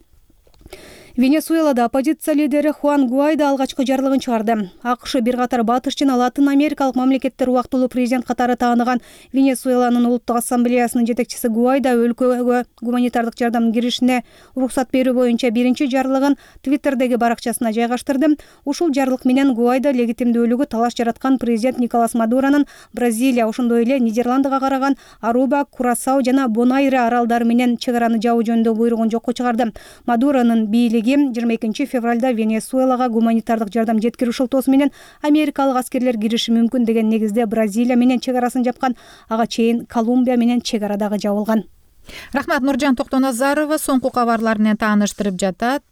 Венесуэлада оппозиция лидери Хуан Гуайдо алгачкы жарлыгын чыгарды. АКШ бир катар батыш жана Латын Америкалык мамлекеттер убактылуу президент катары тааныган Венесуэланын улуттук ассамблеясынын жетекчиси Гуайдо өлкөгө гуманитардык жардам киришине уруксат берүү боюнча биринчи жарлыгын Твиттердеги баракчасына жайгаштырды. Ушул жарлык менен Гуайдо легитимдүүлүгү талаш жараткан президент Николас Мадуронун Бразилия, ошондой эле Нидерландыга караган Аруба, Курасау жана Бонайре аралдары менен чек араны жабуу жөнүндө буйругун жокко чыгарды. Мадуронун бийлиги 22 февралда Венесуэлага гуманитардык жардам жеткирүү шылтоосу менен америкалык аскерлер кириши мүмкүн деген негизде Бразилия менен чек арасын жапкан. Ага чейин Колумбия менен чек ара дагы жабылган. Рахмат, Нуржан Токтоназарова соңку кабарлар менен тааныштырып жатат.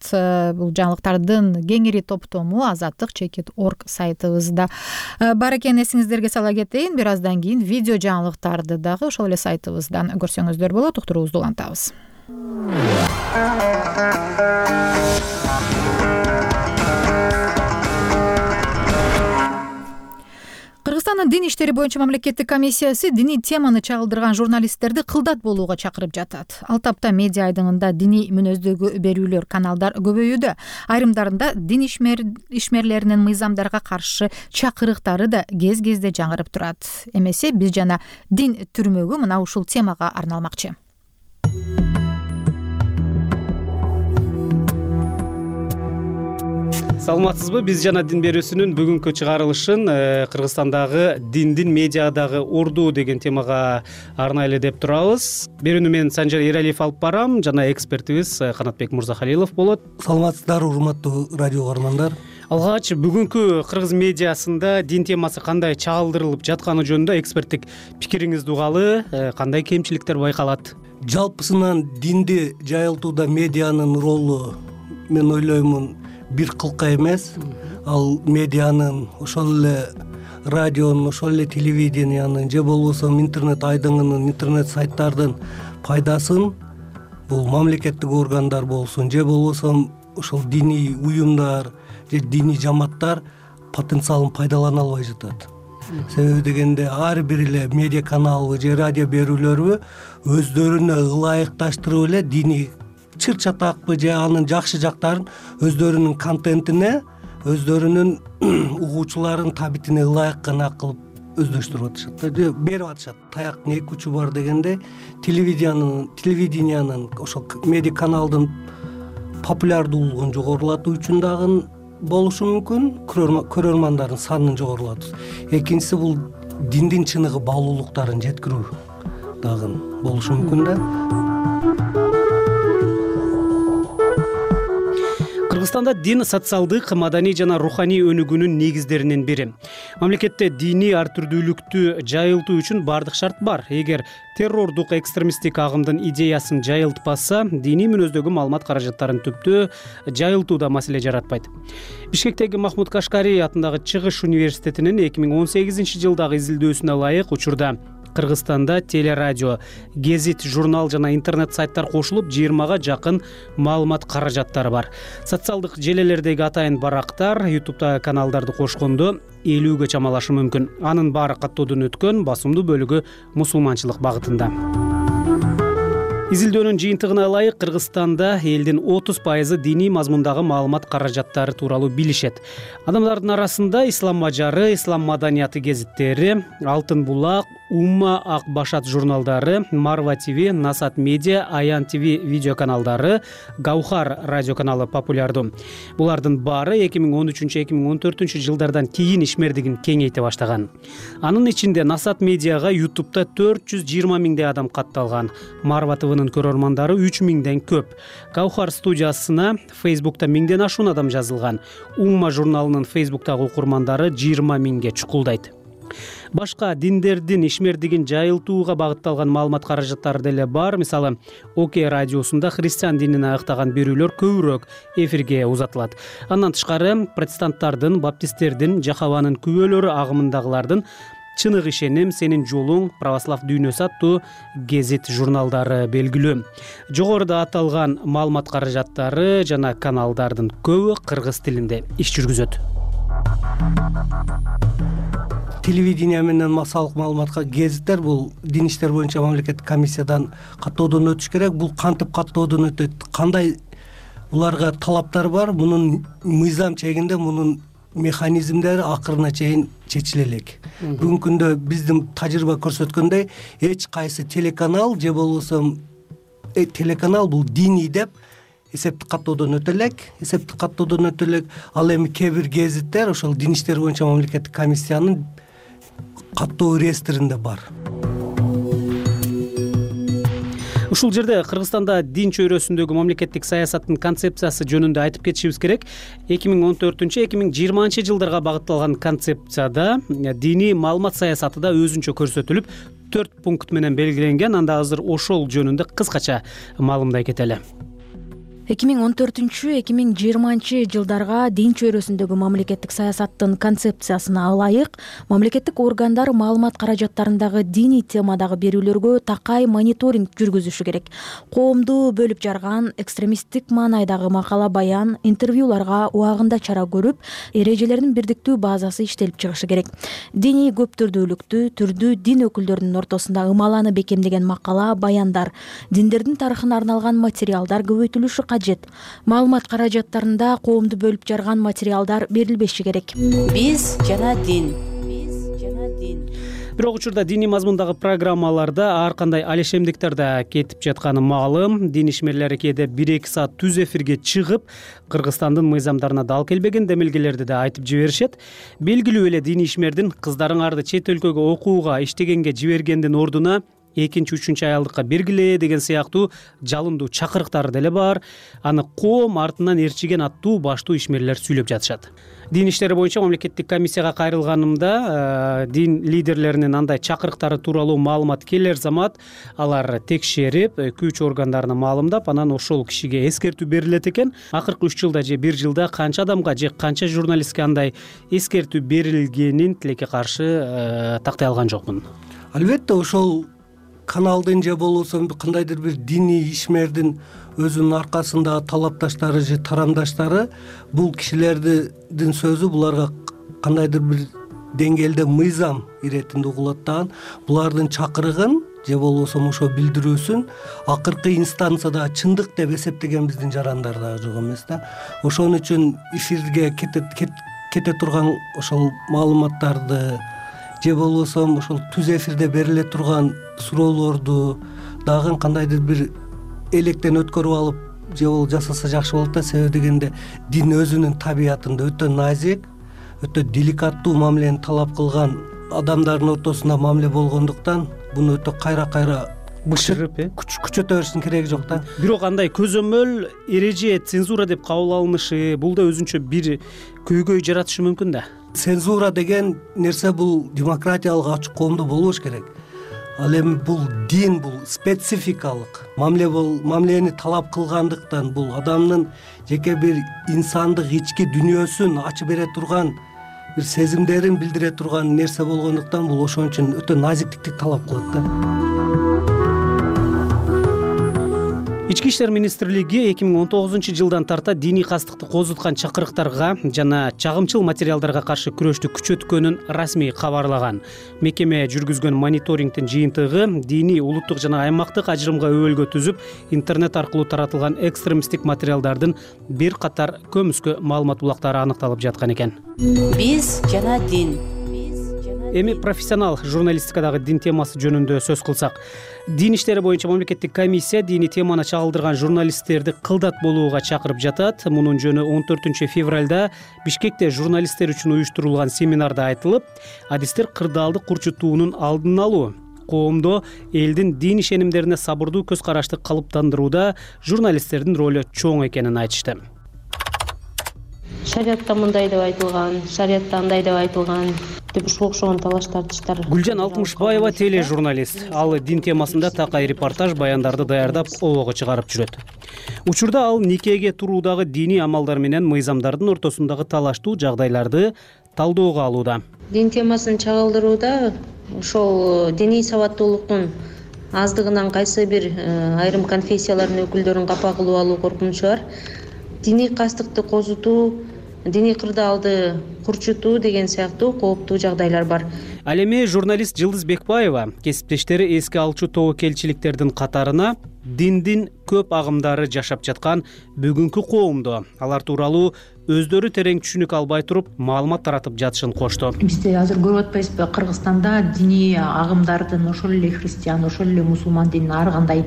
Бул жаңылыктардын кеңири топтому Азаттык.org сайтыбызда бар экен. Эсиңиздерге сала кетейин, бир аздан кийин видео жаңылыктарды дагы ошол эле сайтыбыздан көрсөңүздөр болот. Уктуруубузду улантабыз. Кыргызстандын дин иштери боюнча мамлекеттик комиссиясы диний теманы чагылдырган журналисттерди кылдат болууга чакырып жатат. Ал тапта медиа айдыңында диний мүнөздөгү берүүлөр каналдар көбөйүүдө. Айрымдарында дин ишмерлеринин мыйзамдарга каршы чакырыктары да кез-кезде жаңырып турат. Эмесе биз жана дин түрмөгү мына ушул темага арналмакчы. Саламатсызбы? Биз жана дин берүүсүнүн бүгүнкү чыгарылышын Кыргызстандагы диндин медиадагы орду деген темага арнайлы деп турабыз. Берүүнү мен Санжар Эралиев алып барам, жана экспертибиз Канатбек Мурзахалилов болот. Саламатсыздарбы, урматтуу радио көрөрмандар. Алгач бүгүнкү кыргыз медиасында дин темасы кандай чагылдырылып жатканы жөнүндө эксперттик пикириңизди угалы, кандай кемчиликтер байкалат? Жалпысынан динди жайылтууда медианын ролу, мен ойлоймун, бир кылка эмес. Ал медианын, ошол эле радионун, ошол эле телевидениянын же болбосо интернет айдыңынын, интернет сайттардын пайдасын бул мамлекеттик органдар болсун, же болбосо ошол диний уюмдар же диний жамааттар потенциалын пайдалана албай жатат. Себеби дегенде ар бир эле медиа каналыбы же радио берүүлөрбү өздөрүнө ылайыкташтырып эле диний чыр-чатакпы же анын жакшы жактарын өздөрүнүн контентине, өздөрүнүн угуучуларын табитине ылайык гана кылып өздөштүрүп атышат, берип атышат. Таяктын эки учу бар дегенде телевидениянын ошол медиа каналдын популярдуулугун жогорулатуу үчүн дагы болушу мүмкүн, көрөрмандардын санын жогорулатуу. Экинчиси бул диндин чыныгы баалуулуктарын жеткирүү дагы болушу мүмкүн да. Кыргызстанда дин социалдык, маданий жана руханий өнүгүүнүн негиздеринин бири. Мамлекетте диний ар түрдүүлүктү жайылтуу үчүн бардык шарт бар. Эгер террордук, экстремисттик агымдын идеясын жайылтпаса, диний мүнөздөгү маалымат каражаттарын түптү жайылтууда маселе жаратпайт. Бишкектеги Махмуд Кашкари атындагы Чыгыш университетинин 2018-жылдагы изилдөөсүнө ылайык учурда Кыргызстанда телерадио, гезит, журнал жана интернет сайттар кошулуп 20га жакын маалымат каражаттары бар. Социалдык желелердеги атайын барактар YouTube'да каналдарды кошкондо 50ге чамалашы мүмкүн. Анын баары каттоодон өткөн, басымдуу бөлүгү мусулманчылык багытында. Изилдөөнүн жыйынтыгына ылайык, Кыргызстанда элдин 30% диний мазмундагы маалымат каражаттары тууралуу билишет. Адамдардын арасында Ислам мажары, Ислам маданияты гезиттери, Алтын булак, Умма, Ак башат журналдары, Марва ТВ, Насат медиа, Аян ТВ видео каналдары, Гаухар радио каналы популярдуу. Булардын баары 2013-2014 жылдардан кийин ишмердигин кеңейте баштаган. Анын ичинде Насат медиага YouTube'да 420 миңдей адам катталган. Марва ТВнын көрөрмандары 3 миңден көп. Гаухар студиясына Facebook'та 1000ден ашуун адам жазылган. Умма журналынын Facebook'тагы окурмандары 20 миңге чукулдайт. Башка диндердин ишмердигин жайылтууга багытталган маалымат каражаттары деле бар. Мисалы, ОК радиосунда христиан динин айыктаган берүүлөр көбүрөөк эфирге узатылат. Андан тышкары протестанттардын, баптисттердин, Жахаванын күбөлөрү агымындагылардын Чынык ишеним, Сенин жолуң, Православ дүйнөсү аттуу гезит журналдары белгилүү. Жогоруда аталган маалымат каражаттары жана каналдардын көбү кыргыз тилинде иш жүргүзөт. Телевидение менен массалык маалыматка гезиттер бул дин иштер боюнча мамлекеттик комиссиядан каттоодон өтүш керек. Бул кантип каттоодон өтөт? Кандай буларга талаптар бар? Мунун мыйзам чегинде мунун механизмдери акырына чейин чечиле элек. Бүгүнкү күндө биздин тажрыйба көрсөткөндөй, эч кайсы телеканал же болбосо телеканал бул диний деп эсептик каттоодон өтө элек. Ал эми кээ бир гезиттер ошол дин иштер боюнча мамлекеттик комиссиянын каттоо реестринде бар. Ушул жерде Кыргызстанда дин чөйрөсүндөгү мамлекеттик саясаттын концепциясы жөнүндө айтып кетишибиз керек. 2014-2020 жылдарга багытталган концепцияда диний маалымат саясаты да өзүнчө көрсөтүлүп, 4 пункт менен белгиленген. Анда азыр ошол жөнүндө кыскача маалымдай кетели. 2014-2020 жылдарга дин чөйрөсүндөгү мамлекеттик саясаттын концепциясына ылайык мамлекеттик органдар маалымат каражаттарындагы диний темадагы берүүлөргө такай мониторинг жүргүзүшү керек. Коомду бөлүп жарган экстремисттик маанайдагы макала баян, интервьюларга убагында чара көрүп, эрежелердин бирдиктүү базасы иштелип чыгышы керек. Диний көптүрдүүлүктү, түрдүү дин өкүлдөрүнүн ортосунда ымаланы бекемдеген макала, баяндар, диндердин тарыхына арналган материалдар көбөйтүлүшү кажет. Маалымат каражаттарында коомду бөлүп жарган материалдар берилбеши керек. Биз жана дин. Бирок учурда диний мазмундагы программаларда ар кандай алешемдиктер да кетип жатканы маалым. Дин ишмерлери кээде 1-2 саат түз эфирге чыгып, Кыргызстандын мыйзамдарына дал келбеген демилгелерди да айтып жиберишет. Белгилүү эле дин ишмердин кыздарыңарды чет өлкөгө окууга, иштегенге жибергендин ордуна 2-3 аялдыкка бергиле деген сыяктуу жалындуу чакырыктары деле бар. Аны коом артынан ээрчиген аттуу баштуу ишмерлер сүйлөп жатышат. Дин иштери боюнча мамлекеттик комиссияга кайрылганымда дин лидерлеринин андай чакырыктары тууралуу маалымат келер замат алар текшерип, күч органдарына маалымдап, анан ошол кишиге эскертүү берилет экен. Акыркы 3 жылда же 1 жылда канча адамга же канча журналистке андай эскертүү берилгенин тилекке каршы тактай алган жокмун. Албетте ошол каналдын же болбосо кандайдыр бир диний ишмердин өзүнүн аркасындагы талапташтары же тарамдаштары бул кишилердин сөзү буларга кандайдыр бир деңгээлде мыйзам иретинде угулат дагы. Булардын чакырыгын же болбосо ошо билдирүүсүн акыркы инстанцияда чындык деп эсептеген биздин жарандар дагы жок эмес да. Ошон үчүн эфирге кете турган ошол маалыматтарды же болбосо ошол түз эфирде бериле турган суроолорду дагы кандайдыр бир электен өткөрүп алып же болбосо жасаса жакшы болот да. Себеби дегенде дин өзүнүн табиятында өтө назик, өтө деликаттуу мамилени талап кылган адамдардын ортосунда мамиле болгондуктан буну өтө кайра бышырып күчөтө бериштин кереги жок да. Бирок андай көзөмөл, эреже, цензура деп кабыл алынышы бул да өзүнчө бир көйгөй жаратышы мүмкүн да. Цензура деген нерсе бул демократиялык ачык коомдо болбош керек. Ал эми бул дин, бул спецификалык мамилени талап кылгандыктан, бул адамдын жеке бир инсандык ички дүйнөсүн ачып бере турган бир сезимдерин билдире турган нерсе болгондуктан бул ошон үчүн өтө назиктикти талап кылат да. Ички иштер министрлиги 2019-жылдан тарта диний кастыкты козуткан чакырыктарга жана чагымчыл материалдарга каршы күрөштү күчөткөнүн расмий кабарлаган. Мекеме жүргүзгөн мониторингдин жыйынтыгы диний, улуттук жана аймактык ажырымга өбөлгө түзүп, интернет аркылуу таратылган экстремисттик материалдардын бир катар көмүскө маалымат булактары аныкталып жаткан экен. Биз жана дин. Эми профессионал журналистикадагы дин темасы жөнүндө сөз кылсак, дин иштери боюнча мамлекеттик комиссия диний теманы чагылдырган журналисттерди кылдат болууга чакырып жатат. Мунун жөнү 14 февралда Бишкекте журналисттер үчүн уюштурулган семинарда айтылып, адистер кырдаалды курчутуунун алдын алуу, коомдо элдин дин ишенимдерине сабырдуу көз карашты калыптандырууда журналисттердин ролу чоң экенин айтышты. Шариатта мындай деп айтылган, шариатта андай деп айтылган деп ушуга окшогон талаш-тартыштар. Гүлжан Алтымышбаева тележурналист. Ал дин темасында такай репортаж, баяндарды даярдап, обого чыгарып жүрөт. Учурда ал никеге туруудагы диний амалдар менен мыйзамдардын ортосундагы талаштуу жагдайларды талоого алууда. Дин темасын чагылдырууда ошол диний сабаттуулуктун аздыгынан кайсы бир айрым конфессиялардын өкүлдөрүн капа кылып алуу коркунучу бар. Диний кастыкты козутуу, диний кырдаалды курчутуу деген сыяктуу кооптуу жагдайлар бар. Ал эми журналист Жылдыз Бекбаева кесиптештери эске алчу тобокелчиликтердин катарына диндин көп агымдары жашап жаткан бүгүнкү коомдо алар тууралуу өздөрү терең түшүнүк албай туруп маалымат таратып жатышын кошту. Бизде азыр көрүп атпайсызбы, Кыргызстанда диний агымдардын ошол эле христиан, ошол эле мусулман динин ар кандай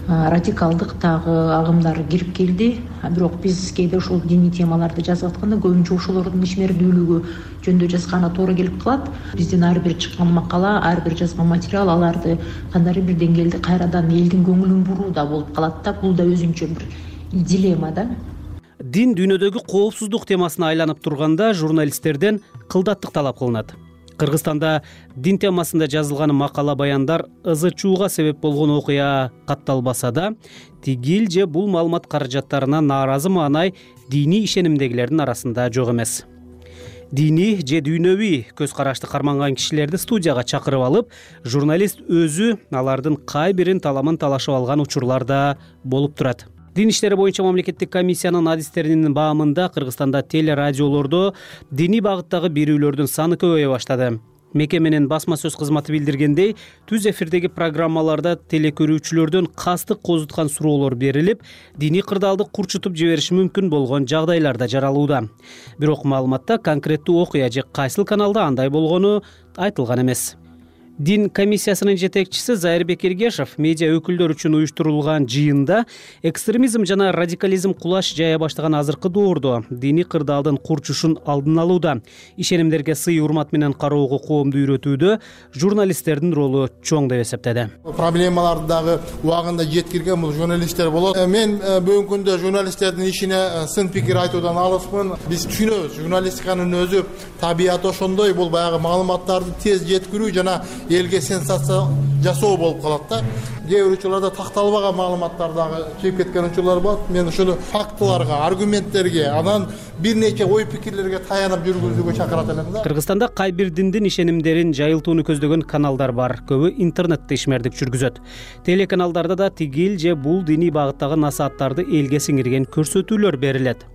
радикалдыктагы агымдар кирип келди. Бирок биз кээде ушул диний темаларды жазып атканда көбүнчө ошолордун ишмердүүлүгү жөнүндө жазганы туура келип калат. Биздин ар бир чыккан макала, ар бир жазган материал аларды кандайдыр бир деңгээлде кайрадан элдин көңүлүн бурууда болуп калат да. Бул да өзүнчө бир дилемма да. Дин дүйнөдөгү коопсуздук темасына айланып турганда журналисттерден кылдаттык талап кылынат. Кыргызстанда дин темасында жазылган макала, баяндар ызы-чууга себеп болгон окуя катталбаса да, тигил же бул маалымат каражаттарына нааразы маанай диний ишенимдегилердин арасында жок эмес. Диний же дүйнөвүй көз карашты карманган кишилерди студияга чакырып алып, журналист өзү алардын кай бирин таламын талашып алган учурлар да болуп турат. Дин иштери боюнча мамлекеттик комиссиянын адистеринин баамында Кыргызстанда телерадиолордо диний багыттагы берүүлөрдүн саны көбөйө баштады. Мекеменин басма сөз кызматы билдиргендей, түз эфирдеги программаларда телекөрүүчүлөрдөн кастык козуткан суроолор берилип, диний кырдаалды курчутуп жибериши мүмкүн болгон жагдайлар да жаралууда. Бирок маалыматта конкреттүү окуя же кайсыл каналда андай болгону айтылган эмес. Дин комиссиясынын жетекчиси Зайырбек Эргешев медиа өкүлдөр үчүн уюштурулган жыйында экстремизм жана радикализм кулаш жая баштаган азыркы доордо диний кырдаалдын курчушун алдын алууда, ишенимдерге сый урмат менен кароого коомду үйрөтүүдө журналисттердин ролу чоң деп эсептеди. Проблемаларды дагы убагында жеткирген бул журналисттер болот. Мен бүгүнкү күндө журналисттердин ишине сын пикир айтуудан алыспын. Биз түшүнөбүз, журналистиканын өзү табияты ошондой, бул баягы маалыматтарды тез жеткирүү жана элге сенсация жасоо болуп калат да. Кээ бир учурларда такталбаган маалыматтар дагы чыгып кеткен учурлар болот. Мен ушуну фактыларга, аргументтерге, анан бир нече ой пикирлерге таянып жүргүзүүгө чакырат элем да. Кыргызстанда кай бир диндин ишенимдерин жайылтууну көздөгөн каналдар бар. Көбү интернетте ишмердик жүргүзөт. Телеканалдарда да тигил же бул диний багыттагы насааттарды элге сиңирген көрсөтүүлөр берилет.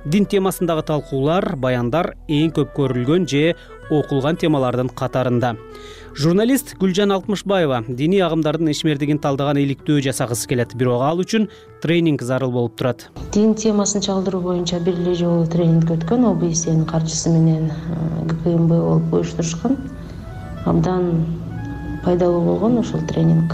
Дин темасындагы талкуулар, баяндар эң көп көрүлгөн же окулган темалардын катарында. Журналист Гүлжан Алтымышбаева диний агымдардын ишмердигин талдаган иликтөө жасагысы келет, бирок ал үчүн тренинг зарыл болуп турат. Дин темасын чагылдыруу боюнча бир эле жолу тренинг өткөн, ОБСН каржысы менен ГКМБ болуп уюштурушкан. Абдан пайдалуу болгон ошол тренинг.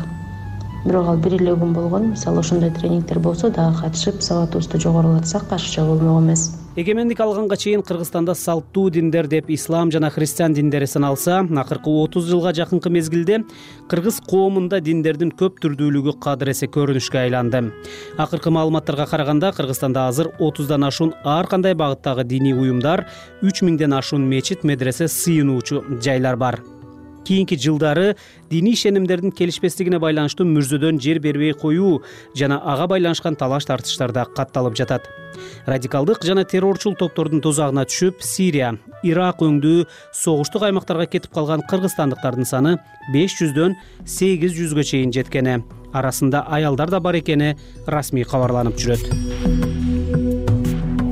Бирок ал бир эле күн болгон. Мисалы ошондой тренингдер болсо дагы катышып, сабатыбызды жогорулатсак каршыча болмок эмес. Эгемендик алганга чейин Кыргызстанда салттуу диндер деп ислам жана христиан диндери саналса, акыркы 30 жылга жакынкы мезгилде кыргыз коомунда диндердин көп түрдүүлүгү кадыр эсе көрүнүшкө айланды. Акыркы маалыматтарга караганда Кыргызстанда азыр 30дан ашуун ар кандай багыттагы диний уюмдар, 3000ден ашуун мечит, медресе, сыйынуучу жайлар бар. кийинки жылдары диний ишенимдердин келишпестигине байланыштуу мүрзөдөн жер бербей коюу жана ага байланышкан талаш тартыштар да катталып жатат. Радикалдык жана террорчул топтордун тузагына түшүп, Сирия, Ирак өңдүү согуштук аймактарга кетип калган кыргызстандыктардын саны 500дөн 800гө чейин жеткени, арасында аялдар да бар экени расмий кабарланып жүрөт.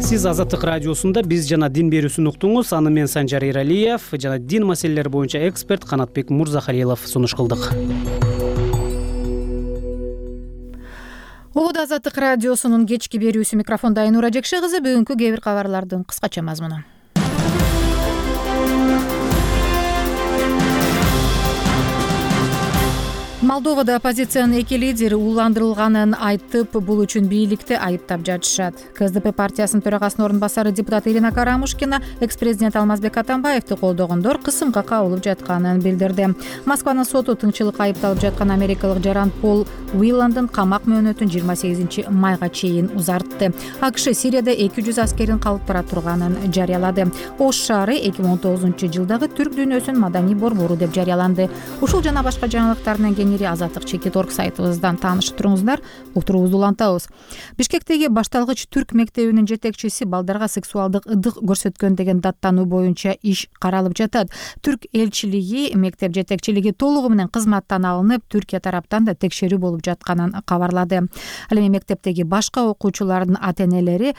Сиз Азаттык радиосунда биз жана дин берүүсүн уктуңуз. Аны мен Санжар Эралиев жана дин маселелери боюнча эксперт Канатбек Мурзахалилов сунуш кылдык. Угуд Азаттык радиосунун кечки берүүсү, микрофондо Айнура Жекше кызы. Бүгүнкү кээ бир кабарлардын кыскача мазмуну. Молдовада оппозициянын эки лидери ууландырылганын айтып, бул үчүн бийликти айыптап жатышат. КСДП партиясынын төрагасынын орун басары депутат Ирина Карамушкина экс-президент Алмазбек Атамбаевди колдогондор кысымга кабылып жатканын билдирди. Москванын соту тыңчылыкка айыпталып жаткан америкалык жаран Пол Уилландын камак мөөнөтүн 28 майга чейин узартты. АКШ Сирияда 200 аскерин калып бара турганын жарыялады. Ош шаары 2019 жылдагы түрк дүйнөсүнүн маданий борбору деп жарыяланды. Ушул жана башка жаңылыктар менен Азаттык Чекит.org сайтыбыздан таанышып туруңуздар. Уктуруубузду улантабыз. Бишкектеги башталгыч түрк мектебинин жетекчиси балдарга сексуалдык ыдык көрсөткөн деген даттануу боюнча иш каралып жатат. Түрк элчилиги, мектеп жетекчилиги толугу менен кызматтан алынып, Түркия тараптан да текшерүү болуп жатканын кабарлады. Ал эми мектептеги башка окуучулардын ата-энелери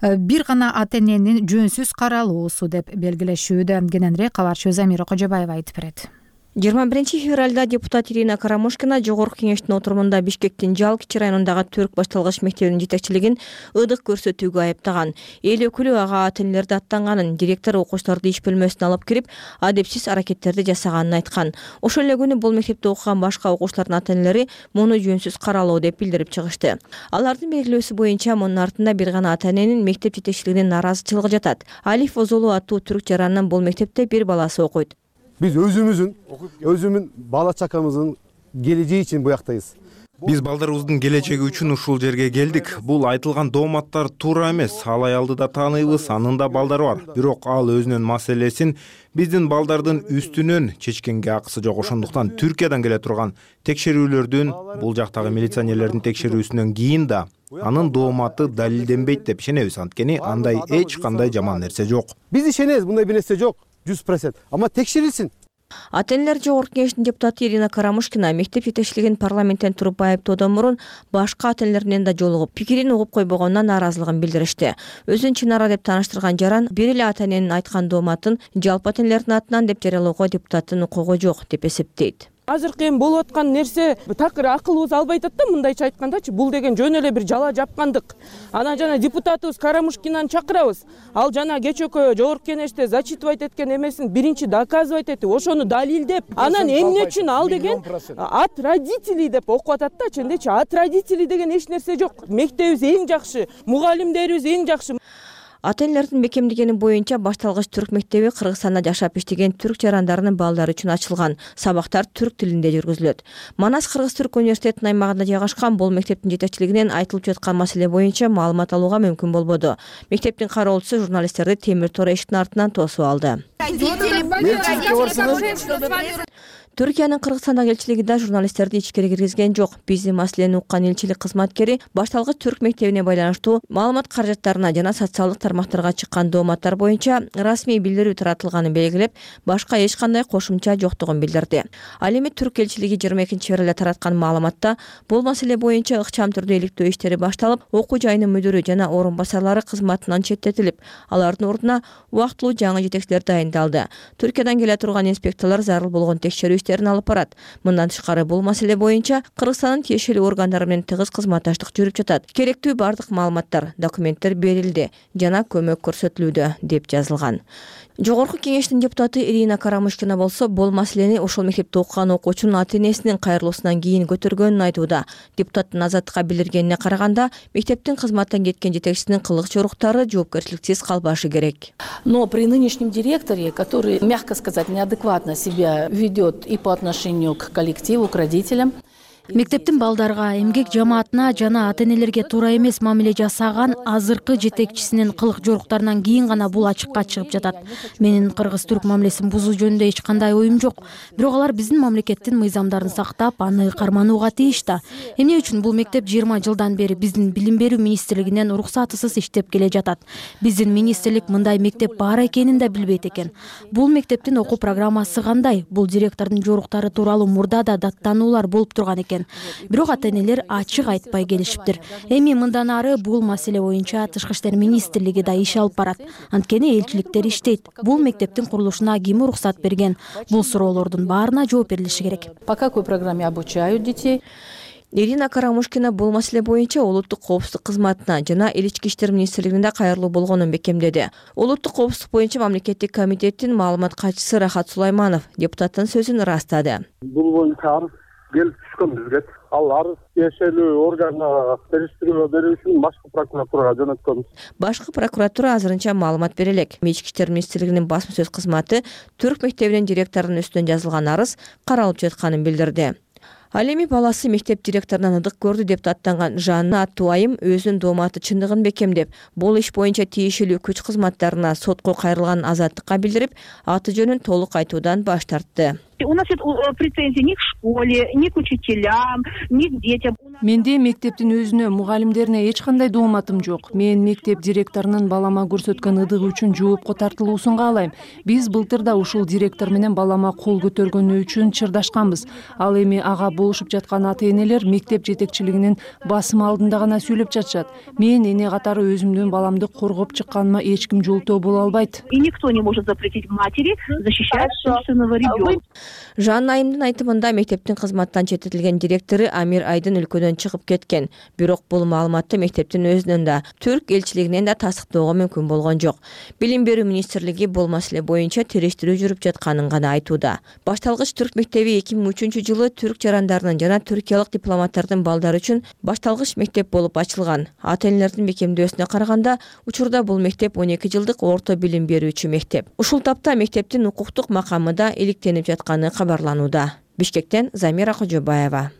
бир гана ата-эненин жөнсүз каралуусу деп белгилешүүдө. Кененирээк кабарчы Замира Кожобаева айтып берет. 21 февралда депутат Ирина Карамушкина Жогорку кеңештин отурумунда Бишкектин Жалкичи районундагы түрк башталгыч мектебинин жетекчилигин ыдык көрсөтүүгө айыптаган. Эл өкүлү ага ата-энелерди аттанганын, директор окуучуларды иш бөлмөсүнө алып кирип, адепсиз аракеттерди жасаганын айткан. Ошол эле күнү бул мектепте окуган башка окуучулардын ата-энелери муну жөнсүз каралуу деп билдирип чыгышты. Алардын белгилөөсү боюнча мунун артында бир гана ата-эненин мектеп жетекчилигинин наразычылыгы жатат. Алиф Озолу аттуу түрк жаранынын бул мектепте бир баласы окуйт. Биз өзүмүн бала чакамыздын келечеги үчүн буяктайбыз. Биз балдарыбыздын келечеги үчүн ушул жерге келдик. Бул айтылган дооматтар туура эмес. Ал аялды да тааныйбыз, анын да балдары бар. Бирок ал өзүнүн маселесин биздин балдардын үстүнөн чечкенге акысы жок. Ошондуктан Түркиядан келе турган текшерүүлөрдүн, бул жактагы милиционерлердин текшерүүсүнөн кийин да анын дооматы далилденбейт деп ишенебиз. Анткени андай эч кандай жаман нерсе жок. Биз ишенебиз, мындай бир нерсе жок. 100%. Ама текшерилсин. Ата-энелер Жогорку кеңештин депутаты Ирина Карамушкина мектеп жетекчилигин парламенттен туруп айыптоодон мурун башка ата-энелер менен да жолугуп, пикирин угуп койбогонуна нааразылыгын билдиришти. Өзүн чынара деп тааныштырган жаран бир эле ата-эненин айткан дооматын жалпы ата-энелердин атынан деп жарыялоого депутаттын укугу жок деп эсептейт. Азыркы эми болуп аткан нерсе такыр акылыбыз албай атат да, мындайча айткандачы, бул деген жөн эле бир жала жапкандык. Анан жана депутатыбыз Карамушкинаны чакырабыз. Ал жана кечөкө Жогорку кеңеште зачитывать эткен эмесин биринчи доказывать этип, ошону далилдеп, анан эмне үчүн ал деген от родителей деп окуп атат да, чындечи от родителей деген эч нерсе жок. Мектебибиз эң жакшы, мугалимдерибиз эң жакшы. Ата-энелердин бекемдегени боюнча башталгыч түрк мектеби Кыргызстанда жашап иштеген түрк жарандарынын балдары үчүн ачылган. Сабактар түрк тилинде жүргүзүлөт. Манас Кыргыз-Түрк университетинин аймагында жайгашкан бул мектептин жетекчилигинен айтылып жаткан маселе боюнча маалымат алууга мүмкүн болбоду. Мектептин кароолчусу журналисттерди темир тор эшиктин артынан тосуп алды. Түркиянын Кыргызстандагы элчилиги да журналисттерди ичкери киргизген жок. Биздин маселени уккан элчилик кызматкери башталгыч түрк мектебине байланыштуу маалымат каражаттарына жана социалдык тармактарга чыккан дооматтар боюнча расмий билдирүү таратылганын белгилеп, башка эч кандай кошумча жоктугун билдирди. Ал эми түрк элчилиги 22 февралда тараткан маалыматта бул маселе боюнча ыкчам түрдө иликтөө иштери башталып, окуу жайынын мүдүрү жана орун басарлары кызматынан четтетилип, алардын ордуна убактылуу жаңы жетекчилер дайындалды. Түркиядан келе турган инспекторлор зарыл болгон текшерүү иштерин алып барат. Мындан тышкары бул маселе боюнча Кыргызстандын тиешелүү органдары менен тыгыз кызматташтык жүрүп жатат. Керектүү бардык маалыматтар, документтер берилди жана көмөк көрсөтүлүүдө деп жазылган. Жогорку кеңештин депутаты Ирина Карамушкина болсо бул маселени ошол мектепте окуган окуучунун ата-энесинин кайрылуусунан кийин көтөргөнүн айтууда. Депутаттын Азаттыкка билдиргенине караганда, мектептин кызматтан кеткен жетекчисинин кылык жоруктары жоопкерчиликсиз калбашы керек. Но при нынешнем директоре, который, мягко сказать, неадекватно себя ведет и по отношению к коллективу, к родителям, Мектептин балдарга, эмгек жамаатына жана ата-энелерге туура эмес мамиле жасаган азыркы жетекчисинин кылык жоруктарынан кийин гана бул ачыкка чыгып жатат. Менин кыргыз-түрк мамилесин бузуу жөнүндө эч кандай оюм жок. Бирок алар биздин мамлекеттин мыйзамдарын сактап, аны карманууга тийиш да. Эмне үчүн бул мектеп 20 жылдан бери биздин билим берүү министрлигинен уруксатысыз иштеп келе жатат? Биздин министрлик мындай мектеп бар экенин да билбейт экен. Бул мектептин окуу программасы кандай? Бул директордун жоруктары тууралуу мурда да даттануулар болуп турган экен. Бирок ата-энелер ачык айтпай келишиптир. Эми мындан ары бул маселе боюнча Тышкы иштер министрлиги да иш алып барат. Анткени элчиликтер иштейт. Бул мектептин курулушуна ким уруксат берген? Бул суроолордун баарына жооп берилиши керек. По какой программе обучают детей? Ирина Карамушкина бул маселе боюнча улуттук коопсуздук кызматына жана ички иштер министрлигинде кайрылуу болгонун бекемдеди. Улуттук коопсуздук боюнча мамлекеттик комитеттин маалымат катчысы Рахат Сулайманов депутаттын сөзүн ырастады. Бул боюнча арыз келип түшкөн бизге. Ал арыз тиешелүү органга териштирүү берүү үчүн башкы прокуратурага жөнөткөнбүз. Башкы прокуратура азырынча маалымат бере элек. Ички иштер министрлигинин басма сөз кызматы түрк мектебинин директорунун үстүнөн жазылган арыз каралып жатканын билдирди. Ал эми баласы мектеп директорунан ыдык көрдү деп даттанган Жанна аттуу айым өзүнүн дооматы чындыгын бекемдеп, бул иш боюнча тиешелүү күч кызматтарына сотко кайрылганын азаттыкка билдирип, аты жөнүн толук айтуудан баш тартты. У нас нет претензий ни к школе, ни к учителям, ни к детям. Менде мектептин өзүнө, мугалимдерине эч кандай дооматым жок. Мен мектеп директорунун балама көрсөткөн ыдыгы үчүн жоопко тартылуусун каалайм. Биз былтыр да ушул директор менен балама кол көтөргөнү үчүн чырдашканбыз. Ал эми ага болушуп жаткан ата-энелер мектеп жетекчилигинин басымы алдында гана сүйлөп жатышат. Мен эне катары өзүмдүн баламды коргоп чыкканыма эч ким жолтоо боло албайт. И никто не может запретить матери защищать собственного ребенка. Жанна айымдын айтымында мектептин кызматтан четтетилген директору Амир Айдын өлкөдөн чыгып кеткен. Бирок бул маалыматты мектептин өзүнөн да, түрк элчилигинен да тастыктоого мүмкүн болгон жок. Билим берүү министрлиги бул маселе боюнча териштирүү жүрүп жатканын гана айтууда. Башталгыч түрк мектеби 2003-жылы түрк жарандарынын жана түркиялык дипломаттардын балдары үчүн башталгыч мектеп болуп ачылган. Ата-энелердин бекемдөөсүнө караганда, учурда бул мектеп 12 жылдык орто билим берүүчү мектеп. Ушул тапта мектептин укуктук макамы да иликтенип жатканы кабарланууда. Бишкектен Замира Кожобаева.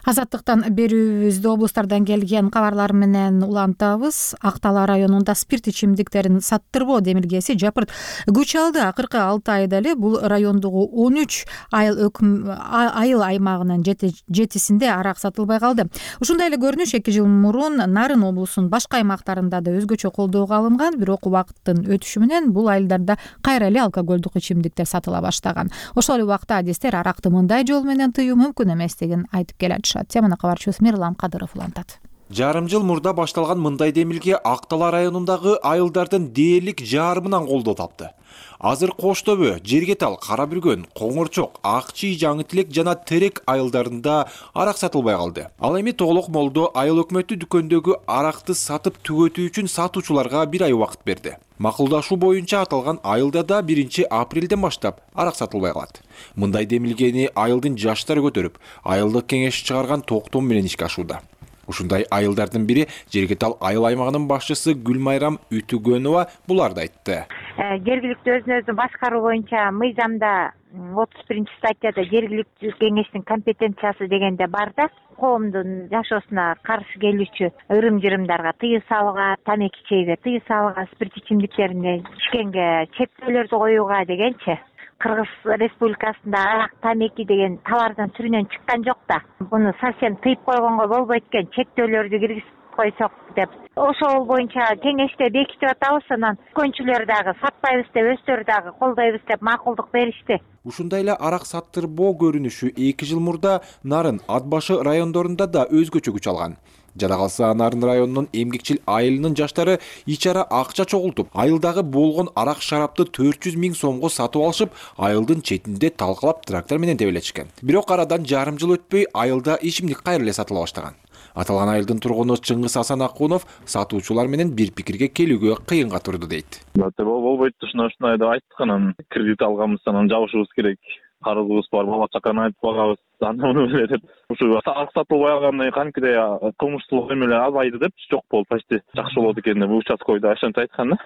Азаттыктан берүүбүздү облустардан келген кабарлар менен улантабыз. Актала районунда спирт ичимдиктерин саттырбоо демилгеси жапырт күч алды. Акыркы 6 айда эле бул райондогу 13 айыл аймагынын 7-синде арак сатылбай калды. Ушундай эле көрүнүш 2 жыл мурун Нарын облусунун башка аймактарында да өзгөчө колдоого алынган, бирок убакыттын өтүшү менен бул айылдарда кайра эле алкоголдук ичимдиктер сатыла баштаган. Ошол эле убакта адистер аракты мындай жол менен тыюу мүмкүн эместигин айтып келет. Теманы кабарчыбыз Мирлан Кадыров улантат. Жарым жыл мурда башталган мындай демилге Актала районундагы айылдардын дээрлик жарымынан колдоо тапты. Азыр Кош Төбө, Жергетал, Кара Бүргөн, Коңорчок, Акчий, Жаңы Тилек жана Терек айылдарында арак сатылбай калды. Ал эми Тоголок Молдо айыл өкмөтү дүкөндөгү аракты сатып түгөтүү үчүн сатуучуларга 1 ай убакыт берди. Макулдашуу боюнча аталган айылда да 1 апрелден баштап арак сатылбай калат. Мындай демилгени айылдын жаштары көтөрүп, айылдык кеңеш чыгарган токтом менен ишке ашууда. Ушундай айылдардын бири Жергетал айыл аймагынын башчысы Гүлмайрам Үтүгөнова буларды айтты. Жергиликтүү өзүн башкаруу боюнча мыйзамда 31-статьяда жергиликтүү кеңештин компетенциясы дегенде бар да, коомдун жашоосуна каршы келүүчү ырым-жырымдарга тыюу салууга, тамеки чейге тыюу салууга, спирт ичимдиктерине ичкенге чектөөлөрдү коюуга дегенчи. Кыргыз Республикасында арак, тамеки деген товардын түрүнөн чыккан жок да. Буну совсем тыйып койгонго болбойт экен, чектөөлөрдү киргизип койсок деп. Ошол боюнча кеңеште бекитип атабыз, анан көчүлөр дагы сатпайбыз деп, өздөрү дагы колдойбуз деп макулдук беришти. Ушундай эле арак саттырбоо көрүнүшү 2 жыл мурда Нарын, Ат башы райондорунда да өзгөчө күч алган. Жада калса Нарын районунун эмгекчил айылынын жаштары ичара акча чогултуп, айылдагы болгон арак шарапты 400 000 сомго сатып алышып, айылдын четинде талкалап трактор менен тебелечкен. Бирок арадан жарым жыл өтпөй айылда ичимдик кайра эле сатыла баштаган. Аталган айылдын тургуну Чыңгыз Асан Акунов сатуучулар менен бир пикирге келүүгө кыйынга турду дейт. Болбойт, ушундай деп айттык, анан кредит алганбыз, анан жабышыбыз керек. Карызыбыз бар, бала чаканы айтып багабыз. Анан эле деп ушу арак сатылбай калгандан кийин кантип кылмыштуулук эме эле азайды деп жок болду, почти жакшы болот экен деп участкойдо ошентип айткан да.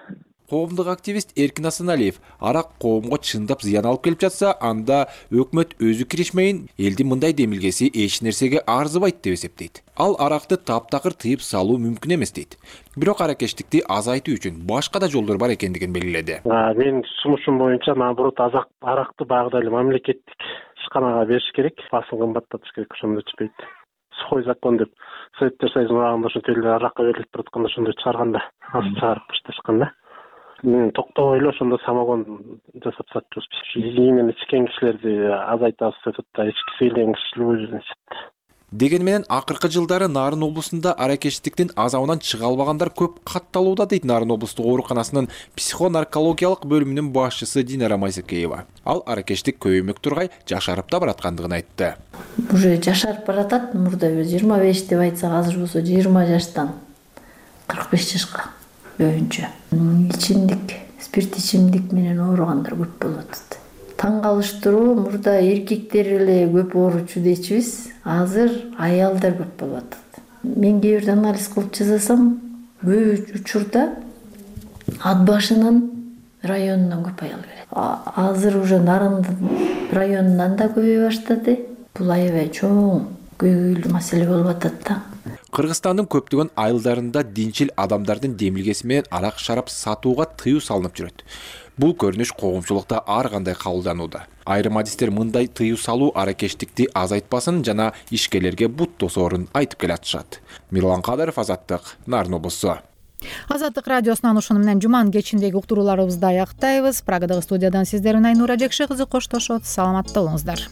Коомдук активист Эркин Асаналиев арак коомго чындап зыян алып келип жатса, анда өкмөт өзү киришмейин, элдин мындай демилгеси эч нерсеге арзыбайт деп эсептейт. Ал аракты таптакыр тыйып салуу мүмкүн эмес дейт. Бирок аракечтикти азайтуу үчүн башка да жолдор бар экендигин белгиледи. Менин сунушум боюнча, наоборот, аракты баягыдай эле мамлекеттик ишканага бериш керек, баасын кымбаттатыш керек, ошондо ичпейт. Сухой закон деп Советтер Союзунун убагында ошентип эле аракка берилип туратканда ошондой чыгарганда, аз чыгарып башташканда. Токтобой эле ошондо самогон жасап сатчубуз. Именно ичкен кишилерди азайтабыз деп атат, ички сөйлеңчүлүгү. Деген менен акыркы жылдары Нарын облусунда аракечтиктин азабынан чыга албагандар көп катталууда дейт Нарын облустук ооруканасынын психонаркологиялык бөлүмүнүн башчысы Динара Майсакеева. Ал аракечтик көбөймөк тургай жашарып да бараткандыгын айтты. Уже жашарып баратат, мурда 25 деп айтсак, азыр болсо 20 жаштан 45 жашка көбүнчө. Ичимдик, спирт ичимдик менен ооругандар көп болуп атат. Таң калыштыруу, мурда эркектер эле көп ооручу дейчүбүз, азыр аялдар көп болуп атат. Мен кээ бирде анализ кылып жасасам, көп учурда ат башынын районунан көп аял келет. Азыр уже Нарындын районунан да көбөйө баштады. Бул аябай чоң, көйгөйлүү маселе болуп атат да. Кыргызстандын көптөгөн айылдарында динчил адамдардын демилгеси менен арак шарап сатууга тыюу салынып жүрөт. Бул көрүнүш коомчулукта ар кандай кабылданууда. Айрым адистер мындай тыюу салуу аракечтикти азайтпасын жана ишкерлерге бут тосоорун айтып келатышат. Мирлан Кадыров, Азаттык, Нарын облусу. Азаттык радиосунан ушуну менен жуманын кечиндеги уктурууларыбызды аяктайбыз. Прагадагы студиядан сиздер менен Айнура Жекше кызы коштошот. Саламатта болуңуздар.